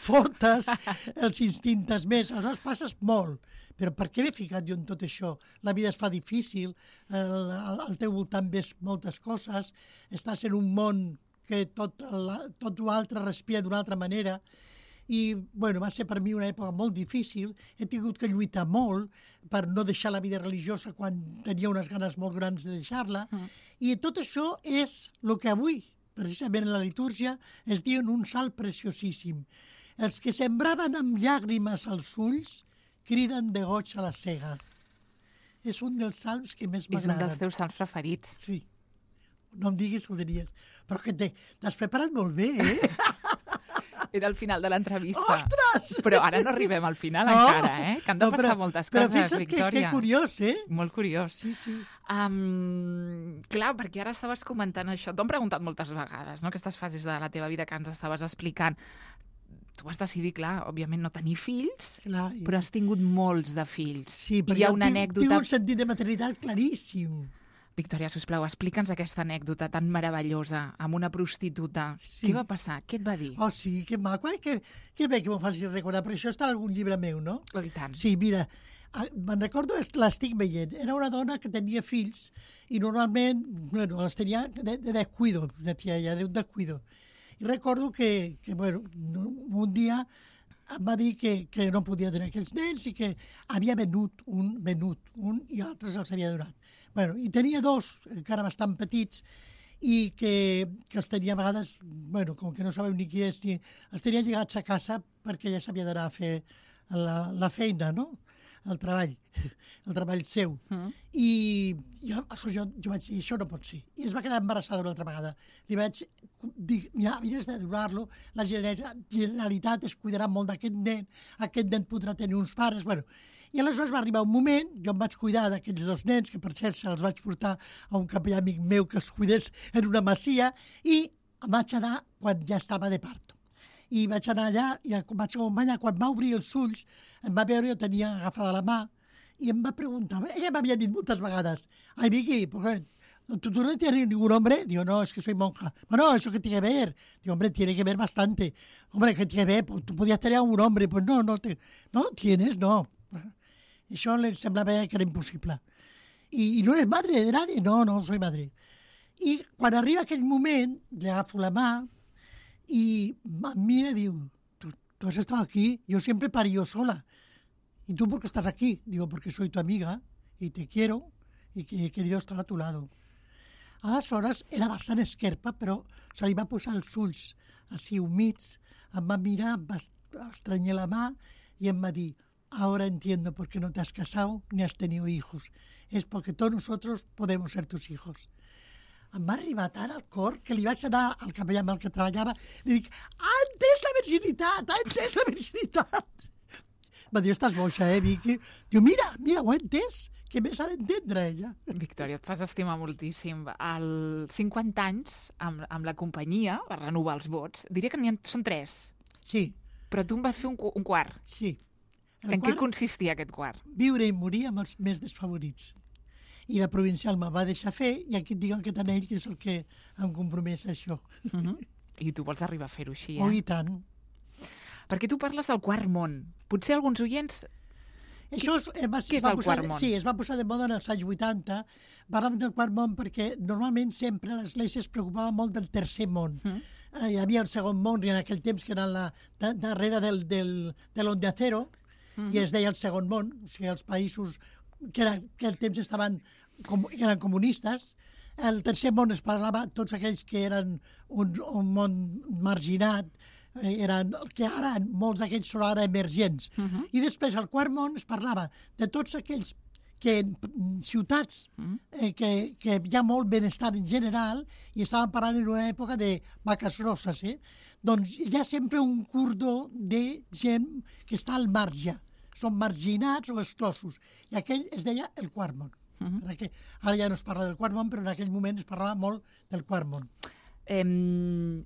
fortes, els instintes més, aleshores passes molt. Però per què m'he ficat jo en tot això? La vida es fa difícil, el, al teu voltant ves moltes coses, estàs en un món que tot, la, tot l'altre respira d'una altra manera, i bueno, va ser per mi una època molt difícil, he tingut que lluitar molt per no deixar la vida religiosa quan tenia unes ganes molt grans de deixar-la, mm. i tot això és el que avui, precisament en la litúrgia, es diu un salt preciosíssim. Els que sembraven amb llàgrimes als ulls criden de goig a la cega. És un dels salms que més m'agraden. És un dels teus salms preferits. Sí. No em diguis que ho tenies. Però que t'has preparat molt bé, eh? Era el final de l'entrevista. Ostres! Però ara no arribem al final no. encara, eh? Que han de no, passar però, moltes però coses, fixa't Victòria. Que, que curiós, eh? Molt curiós. Sí, sí. Um, clar, perquè ara estaves comentant això. T'ho han preguntat moltes vegades, no?, aquestes fases de la teva vida que ens estaves explicant. Tu vas decidir, clar, òbviament no tenir fills, clar, i... però has tingut molts de fills. Sí, I hi ha una tinc, anècdota... tinc un sentit de maternitat claríssim. Victòria, sisplau, explica'ns aquesta anècdota tan meravellosa amb una prostituta. Sí. Què va passar? Què et va dir? Oh, sí, que maco. Ai, que, que bé que m'ho facis recordar, però això està en algun llibre meu, no? Oh, i tant. Sí, mira, me'n recordo, l'estic veient. Era una dona que tenia fills i normalment, bueno, els tenia de, de descuido, de tia, de un descuido. I recordo que, que bueno, un dia em va dir que, que no podia tenir aquells nens i que havia venut un, venut un i altres els havia donat. Bueno, i tenia dos, encara bastant petits, i que, que els tenia a vegades, bueno, com que no sabeu ni qui és, ni, els tenia lligats a casa perquè ja s'havia d'anar a fer la, la feina, no?, el treball, el treball seu. Mm. I jo, jo, jo vaig dir, això no pot ser. I es va quedar embarassada una altra vegada. Li vaig dir, ja, havies de donar-lo, la Generalitat es cuidarà molt d'aquest nen, aquest nen podrà tenir uns pares, bueno. I aleshores va arribar un moment, jo em vaig cuidar d'aquells dos nens, que per cert se'ls vaig portar a un capellà amic meu que els cuidés en una masia, i em vaig anar quan ja estava de parto. I vaig anar allà, i em vaig acompanyar, quan va obrir els ulls, em va veure, jo tenia agafada la mà, i em va preguntar, ella m'havia dit moltes vegades, ai, Vicky, porque ¿tú, tú no tienes ningún hombre? Digo, no, es que soy monja. Bueno, ¿eso qué tiene que ver? Digo, hombre, tiene que ver bastante. Hombre, ¿qué tiene que ver? Pues tú podías tener a un hombre. Pues no, no, te, no lo tienes, no. Això li semblava que era impossible. I, i no eres madre de nadie? No, no, soy madre. I quan arriba aquell moment, le agafo la mà y mira, digo, ¿Tú, tú has estado aquí, yo siempre parí yo sola. ¿Y tú por qué estás aquí? Digo, porque soy tu amiga y te quiero y que he querido estar a tu lado. Aleshores era bastant esquerpa, però se li va posar els ulls així humits, em va mirar, em va estranyar la mà i em va dir, ahora entiendo por qué no te has casado ni has tenido hijos. Es porque todos nosotros podemos ser tus hijos. Em va arribar tant al cor que li vaig anar al capellà amb el que treballava i li dic, ha entès la virginitat, ha entès la virginitat. Va dir, estàs boixa, eh, Vicky? Diu, mira, mira, ho ha entès, que més ha d'entendre ella. Victòria, et fas estimar moltíssim. Als cinquanta anys, amb, amb la companyia, per renovar els vots, diria que n'hi ha, són tres. Sí. Però tu en vas fer un, un quart. Sí. El en quart, què consistia aquest quart? Viure i morir amb els més desfavorits. I la provincial me va deixar fer, i aquí et dic el que tant ell, que és el que em compromès a això. Uh -huh. I tu vols arribar a fer-ho així, eh? Oh, i tant. Perquè tu parles del quart món. Potser alguns oients... Això es, eh, va, Què és va el posar, quart món? Sí, es va posar de moda en els anys vuitanta. Parlàvem del quart món perquè normalment sempre l'Església es preocupava molt del tercer món. Mm. Eh, hi havia el segon món, i en aquell temps que era la, da, darrere del, del, de l'Onde Acero, mm -hmm. i es deia el segon món, o sigui, els països que, era, que al temps estaven com, que eren comunistes. El tercer món es parlava tots aquells que eren un, un món marginat, eren, que ara molts d'aquells són ara emergents. Uh -huh. I després, al quart món, es parlava de tots aquells que en ciutats uh -huh. eh, que, que hi ha molt benestar en general, i estàvem parlant en una època de vaques rosses, eh? Doncs hi ha sempre un cordó de gent que està al marge. Són marginats o exclosos. I aquell es deia el quart món. Uh -huh. Perquè ara ja no es parla del quart món, però en aquell moment es parlava molt del quart món. Eh,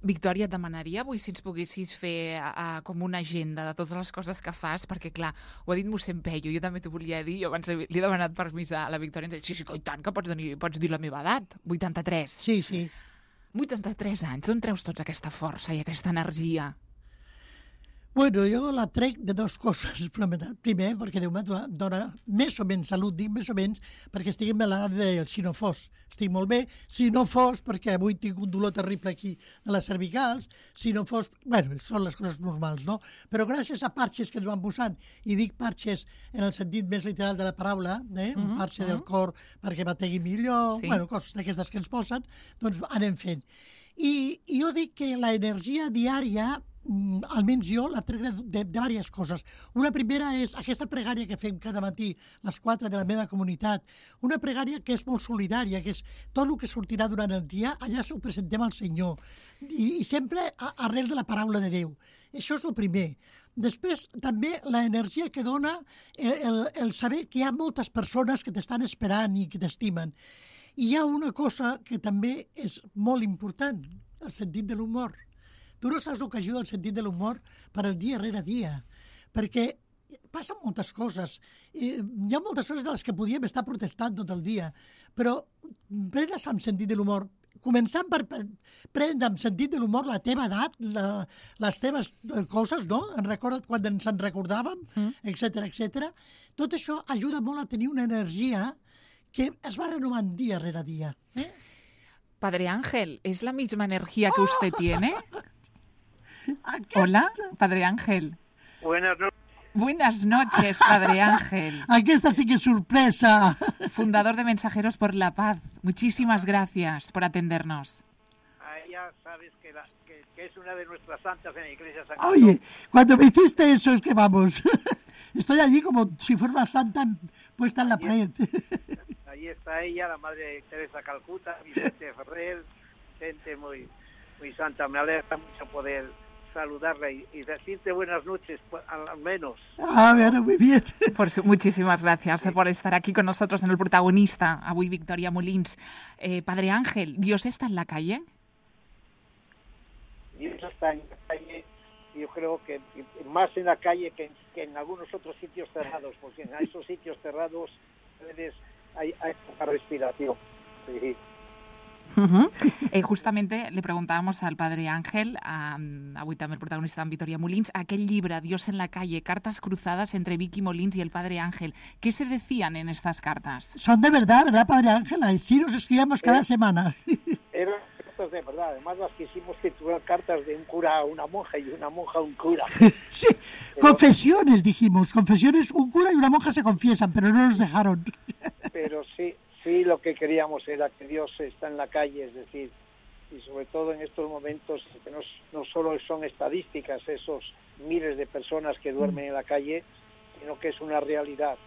Victòria, et demanaria avui si ens poguessis fer uh, com una agenda de totes les coses que fas, perquè clar, ho ha dit mossèn Pello, jo també t'ho volia dir, jo abans li he demanat permís a la Victòria, ens ha dit, sí, sí, i tant, que pots dir, pots dir la meva edat, vuitanta-tres. Sí, sí. vuitanta-tres anys, on treus tota aquesta força i aquesta energia? Bueno, jo la trec de dues coses. Primer, perquè Déu me dona més o menys salut, dic més o menys, perquè estic en l'edat del si no fos. Estic molt bé. Si no fos, perquè avui tinc un dolor terrible aquí de les cervicals, si no fos... Bueno, són les coses normals, no? Però gràcies a parxes que ens van posant, i dic parxes en el sentit més literal de la paraula, eh? un parxe del cor perquè bategui millor, sí. Bueno, coses d'aquestes que ens posen, doncs anem fent. I, i jo dic que l'energia diària, almenys jo, la trec de, de, de diverses coses. Una primera és aquesta pregària que fem cada matí, les quatre de la meva comunitat, una pregària que és molt solidària, que és tot el que sortirà durant el dia, allà s'ho presentem al Senyor, i, i sempre a, arrel de la paraula de Déu. Això és el primer. Després, també, l'energia que dona el, el, el saber que hi ha moltes persones que t'estan esperant i que t'estimen. I hi ha una cosa que també és molt important, el sentit de l'humor. Tu no saps el que ajuda el sentit de l'humor per al dia rere dia, perquè passen moltes coses. Hi ha moltes coses de les que podíem estar protestant tot el dia, però pren-les amb sentit de l'humor. Començant per prendre amb sentit de l'humor la teva edat, la, les teves coses, no? En recorda't quan ens en recordàvem, etcètera, etcètera. Tot això ajuda molt a tenir una energia que es va renovant dia rere dia. ¿Eh? Padre Ángel, ¿es la misma energía que usted ¡Oh! tiene? Aquesta... Hola, Padre Ángel. Buenas noches. Buenas noches, Padre Ángel. Aquesta sí que es sorpresa. Fundador de Mensajeros por la Paz. Muchísimas gracias por atendernos. Ya sabes que, la, que, que es una de nuestras santas en la iglesia San Oye, cuando me hiciste eso es que vamos, estoy allí como si fuera una santa puesta en la pared. Ahí está ella, la Madre Teresa Calcuta, Vicente Ferrer, gente muy, muy santa. Me alegra mucho poder saludarla y, y decirte buenas noches, al menos. Ah, bueno, muy bien. Por su, muchísimas gracias sí. por estar aquí con nosotros en El Protagonista. Avui Victòria Molins. Eh, Padre Ángel, ¿Dios está en la calle? Dios está en la calle, yo creo que más en la calle que, que en algunos otros sitios cerrados, porque en esos sitios cerrados hay, hay poca respiración. Sí. Uh-huh. eh, justamente le preguntábamos al padre Ángel, a, avui també el protagonista en Vitoria Molins, aquel llibre, Dios en la calle, cartas cruzadas entre Vicky Molins y el padre Ángel. ¿Qué se decían en estas cartas? Son de verdad, ¿verdad, padre Ángel? Sí, nos escribíamos cada eh, semana. Eran cartas de verdad, además las quisimos titular cartas de un cura a una monja y una monja a un cura. Sí, pero, confesiones dijimos, confesiones, un cura y una monja se confiesan, pero no nos dejaron. Pero sí, sí, lo que queríamos era que Dios está en la calle, es decir, y sobre todo en estos momentos que no, no solo son estadísticas esos miles de personas que duermen en la calle, sino que es una realidad.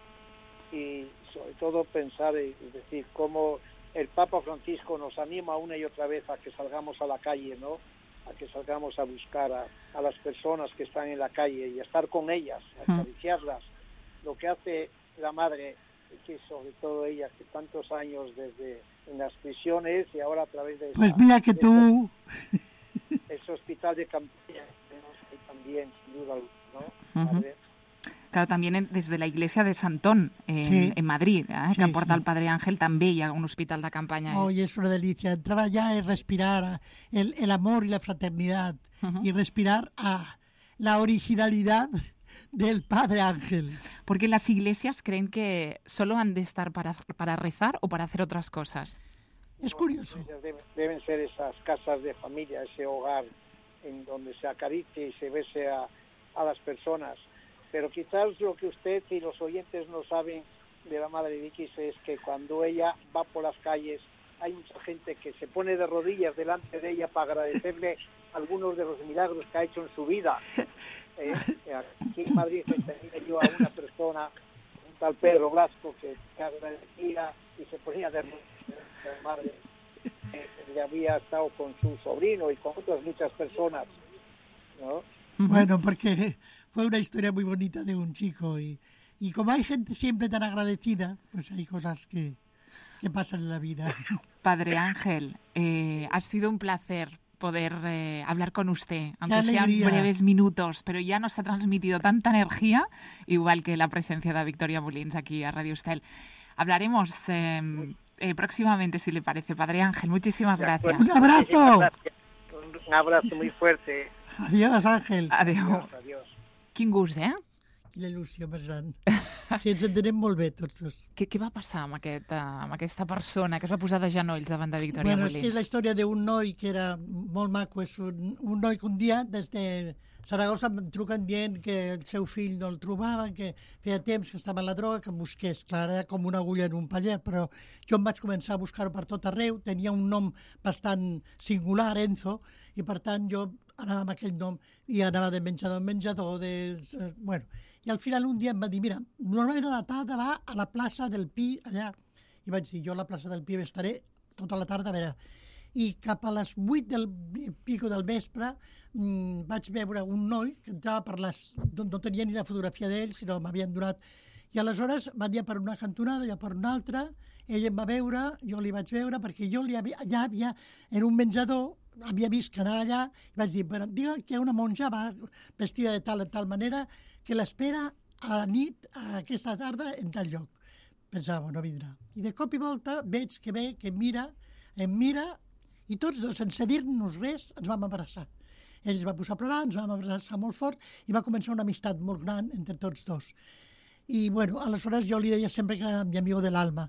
Y sobre todo pensar, es decir, cómo el Papa Francisco nos anima una y otra vez a que salgamos a la calle, ¿no? A que salgamos a buscar a, a las personas que están en la calle y a estar con ellas, a acariciarlas. Lo que hace la madre, que sobre todo ella, que tantos años desde en las prisiones y ahora a través de... Pues esa, mira que tú... Ese hospital de campaña también, sin duda, ¿no? Uh-huh. Madre. Claro, también desde la iglesia de Santón, en, sí. en Madrid, ¿eh? Sí, que aporta sí. el Padre Ángel, també hi ha un hospital de campaña. Oh, y es una delicia. Entrar allá es respirar el, el amor y la fraternidad uh-huh. y respirar a la originalidad del Padre Ángel. Porque las iglesias creen que solo han de estar para, para rezar o para hacer otras cosas. Es curioso. Deben, deben ser esas casas de familia, ese hogar en donde se acaricie y se bese a, a las personas. Pero quizás lo que usted y los oyentes no saben de la Madre Vicky es que cuando ella va por las calles hay mucha gente que se pone de rodillas delante de ella para agradecerle algunos de los milagros que ha hecho en su vida. Eh, aquí en Madrid tenía yo a una persona, un tal Pedro Blasco, que, que agradecía y se ponía de rodillas delante de la Madre. Eh, que había estado con su sobrino y con otras muchas personas, ¿no? Bueno, porque fue una historia muy bonita de un chico y, y como hay gente siempre tan agradecida, pues hay cosas que, que pasan en la vida. Padre Ángel, eh, ha sido un placer poder eh, hablar con usted, aunque sean breves minutos, pero ya nos ha transmitido tanta energía, igual que la presencia de Victoria Molins aquí a Radio Estel. Hablaremos eh, eh, próximamente, si le parece, Padre Ángel. Muchísimas gracias. ¡Un abrazo! Un abrazo muy fuerte. Adiós, Àngel. Adéu. Adiós, adiós. Quin gust, eh? Quina il·lusió més gran. Sí, ens entenem molt bé, tots dos. Què, què va passar amb, aquest, amb aquesta persona que es va posar de genolls davant de Victoria bueno, Molins? És que és la història d'un noi que era molt maco. És un, un noi que un dia, des de Saragossa, em truquen dient que el seu fill no el trobaven, que feia temps que estava en la droga, que em busqués. Clar, era com una agulla en un paller, però jo em vaig començar a buscar-ho per tot arreu. Tenia un nom bastant singular, Enzo, i per tant jo anava amb aquell nom i anava de menjador en menjador. De... Bueno, i al final un dia em va dir, mira, normalment a la tarda va a la plaça del Pi, allà. I vaig dir, jo a la plaça del Pi estaré tota la tarda a veure. I cap a les vuit del pico del vespre mmm, vaig veure un noi que entrava per les... No, no tenia ni la fotografia d'ell, sinó m'havien donat... I aleshores va dir per una cantonada, ja per una altra, ell em va veure, jo li vaig veure, perquè jo li havia, allà havia, en un menjador, havia vist que anava allà, i vaig dir, però digue que una monja va vestida de tal, de tal manera que l'espera a la nit, a aquesta tarda, en tal lloc. Pensava, no vindrà. I de cop i volta veig que ve, que em mira, em mira, i tots dos, sense dir-nos res, ens vam abraçar. Ell es va posar a plorar, ens vam abraçar molt fort i va començar una amistat molt gran entre tots dos. I, bueno, aleshores jo li deia sempre que era mi amigo de l'alma.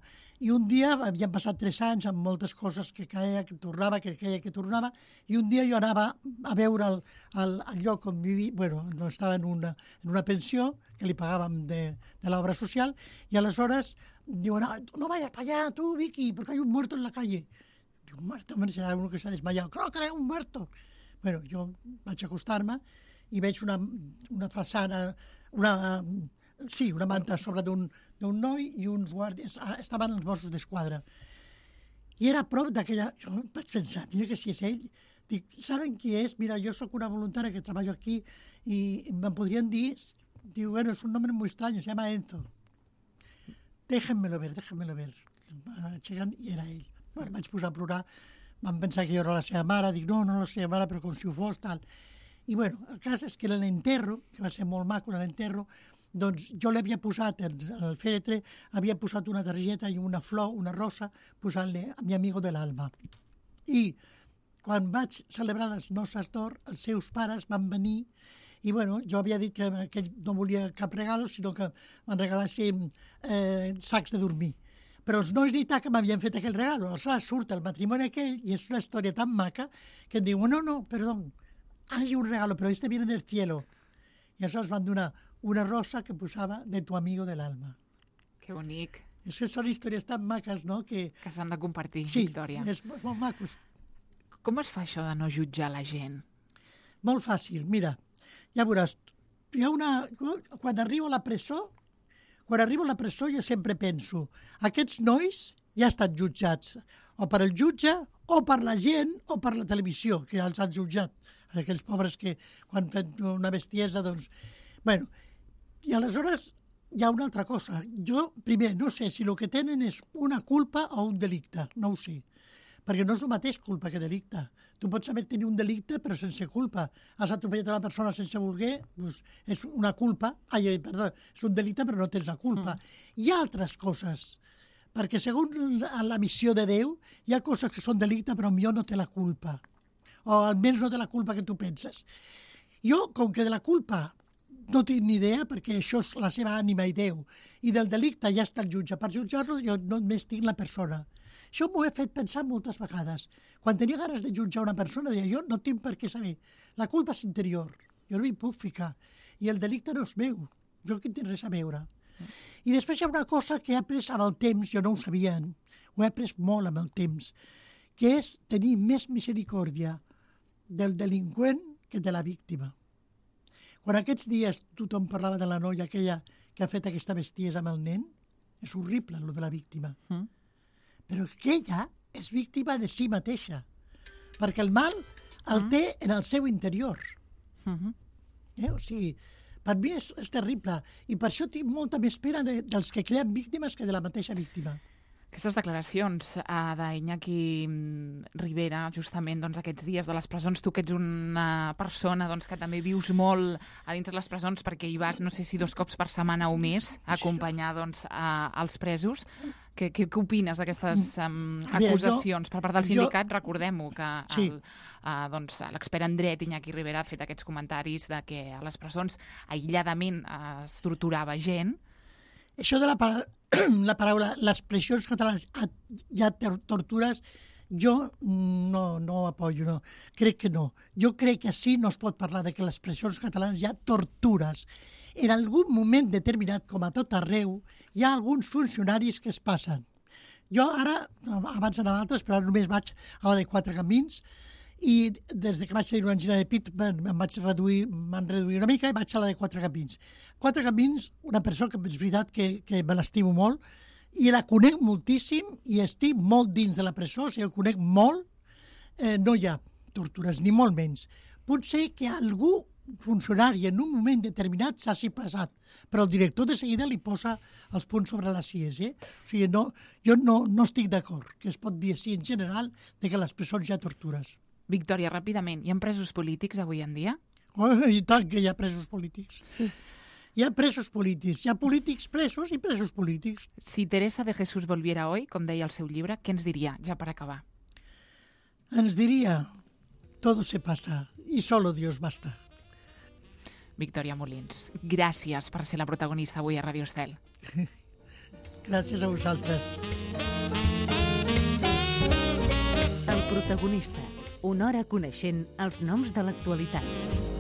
I un dia, havien passat tres anys amb moltes coses que caia, que tornava, que caia, que tornava, i un dia jo anava a veure el, el, el lloc on vivia, bueno, no estava en una, en una pensió que li pagàvem de, de l'obra social, i aleshores diuen, no, no vayas para allá, tú, Vicky, porque hay un muerto en la calle. Digo, un muerto, hombre, será uno que se ha desmayado. Creo que hay un muerto. Bueno, jo vaig acostar-me i veig una, una façana, una... Sí, una manta sobre d'un noi i uns guàrdies. Estaven els Mossos d'Esquadra. I era a prop d'aquella... Jo vaig pensar, mira que si és ell... Dic, saben qui és? Mira, jo sóc una voluntària que treballo aquí i me'n podrien dir... Diu, bueno, és un nombre muy extraño, se llama Enzo. Déjenmelo ver, déjenmelo ver. Aixequen i era ell. Bueno, vaig posar a plorar. Van pensar que jo era la seva mare. Dic, no, no la seva mare, però com si ho fos, tal. I, bueno, el cas és que l'enterro, que va ser molt maco, l'enterro, doncs jo l'havia posat, al fèretre, havia posat una targeta i una flor, una rosa, posant-li a mi amigo de l'alma. I quan vaig celebrar les noces d'or, els seus pares van venir i, bueno, jo havia dit que, que no volia cap regalo, sinó que me'n regalassin eh, sacs de dormir. Però els nois d'Itaca m'havien fet aquell regalo. Aleshores surt el matrimoni aquell i és una història tan maca que em diu, no, no, perdó, hay un regalo, però este viene del cielo. I aleshores van donar una rosa que posava de tu amigo del alma. Que bonic. És que són històries tan maques, no?, que... Que s'han de compartir, sí, Victòria. Sí, és molt macos. Com es fa això de no jutjar la gent? Molt fàcil, mira, ja veuràs, hi ha una... Quan arribo a la presó, quan arribo a la presó jo sempre penso, aquests nois ja estan jutjats, o per el jutge, o per la gent, o per la televisió, que ja els han jutjat. Aquells pobres que quan fan una bestiesa, doncs... Bueno, i aleshores hi ha una altra cosa. Jo, primer, no sé si el que tenen és una culpa o un delicte, no ho sé. Perquè no és el mateix culpa que delicte. Tu pots saber tenir un delicte però sense culpa. Has atropellat una persona sense voler, doncs és una culpa, ai, perdó, és un delicte però no tens la culpa. Mm. Hi ha altres coses, perquè segons la missió de Déu hi ha coses que són delicte però millor no té la culpa. O almenys no té la culpa que tu penses. Jo, com que de la culpa no tinc ni idea, perquè això és la seva ànima i Déu, i del delicte ja està el jutge. Per jutjar-lo jo només tinc la persona. Això m'ho he fet pensar moltes vegades. Quan tenia ganes de jutjar una persona, deia, jo no tinc per què saber. La culpa és interior. Jo no hi puc ficar. I el delicte no és meu. Jo que hi tinc res a veure. I després hi ha una cosa que he après amb el temps, jo no ho sabia, ho he après molt amb el temps, que és tenir més misericòrdia del delinqüent que de la víctima. Quan aquests dies tothom parlava de la noia aquella que ha fet aquesta bestiesa amb el nen, és horrible, el de la víctima. Mm. Però aquella és víctima de si mateixa, perquè el mal el mm. té en el seu interior. Mm-hmm. Eh? O sigui, per mi és, és terrible, i per això tinc molta més pena de, dels que creen víctimes que de la mateixa víctima. Aquestes declaracions uh, d'Iñaki Rivera, justament doncs, aquests dies de les presons, tu que ets una persona doncs, que també vius molt a dintre les presons perquè hi vas, no sé si dos cops per setmana o més, a acompanyar doncs, a, als presos. Què, què, què opines d'aquestes um, acusacions? Per part del sindicat, jo... recordem-ho, que sí. el, uh, doncs, l'expert en dret Iñaki Rivera ha fet aquests comentaris de que a les presons aïlladament uh, es torturava gent. Això de la, para... la paraula, les presons catalanes, hi ha tortures, jo no, no ho apoyo, no. Crec que no. Jo crec que així no es pot parlar de que les presons catalanes hi ha tortures. En algun moment determinat, com a tot arreu, hi ha alguns funcionaris que es passen. Jo ara, abans anava a altres, però ara només vaig a la de Quatre Camins, i des que vaig tenir una angina de pit em vaig reduir, m'han reduït una mica i vaig a la de Quatre Camins. Quatre Camins, una persona que és veritat que, que me l'estimo molt i la conec moltíssim i estic molt dins de la presó, o sigui, conec molt, eh, no hi ha tortures, ni molt menys. Potser que algú funcionari en un moment determinat s'ha s'hi passat, però el director de seguida li posa els punts sobre les ies. Eh? O sigui, no, jo no, no estic d'acord que es pot dir així en general de que a les presons hi ha tortures. Victòria, ràpidament, hi ha presos polítics avui en dia? Oh, i tant que hi ha presos polítics. Sí. Hi ha presos polítics, hi ha polítics presos i presos polítics. Si Teresa de Jesús volviera hoy, com deia el seu llibre, què ens diria, ja per acabar? Ens diria, todo se pasa y solo Dios basta. Victòria Molins, gràcies per ser la protagonista avui a Radio Estel. Gràcies a vosaltres. El protagonista, una hora coneixent els noms de l'actualitat.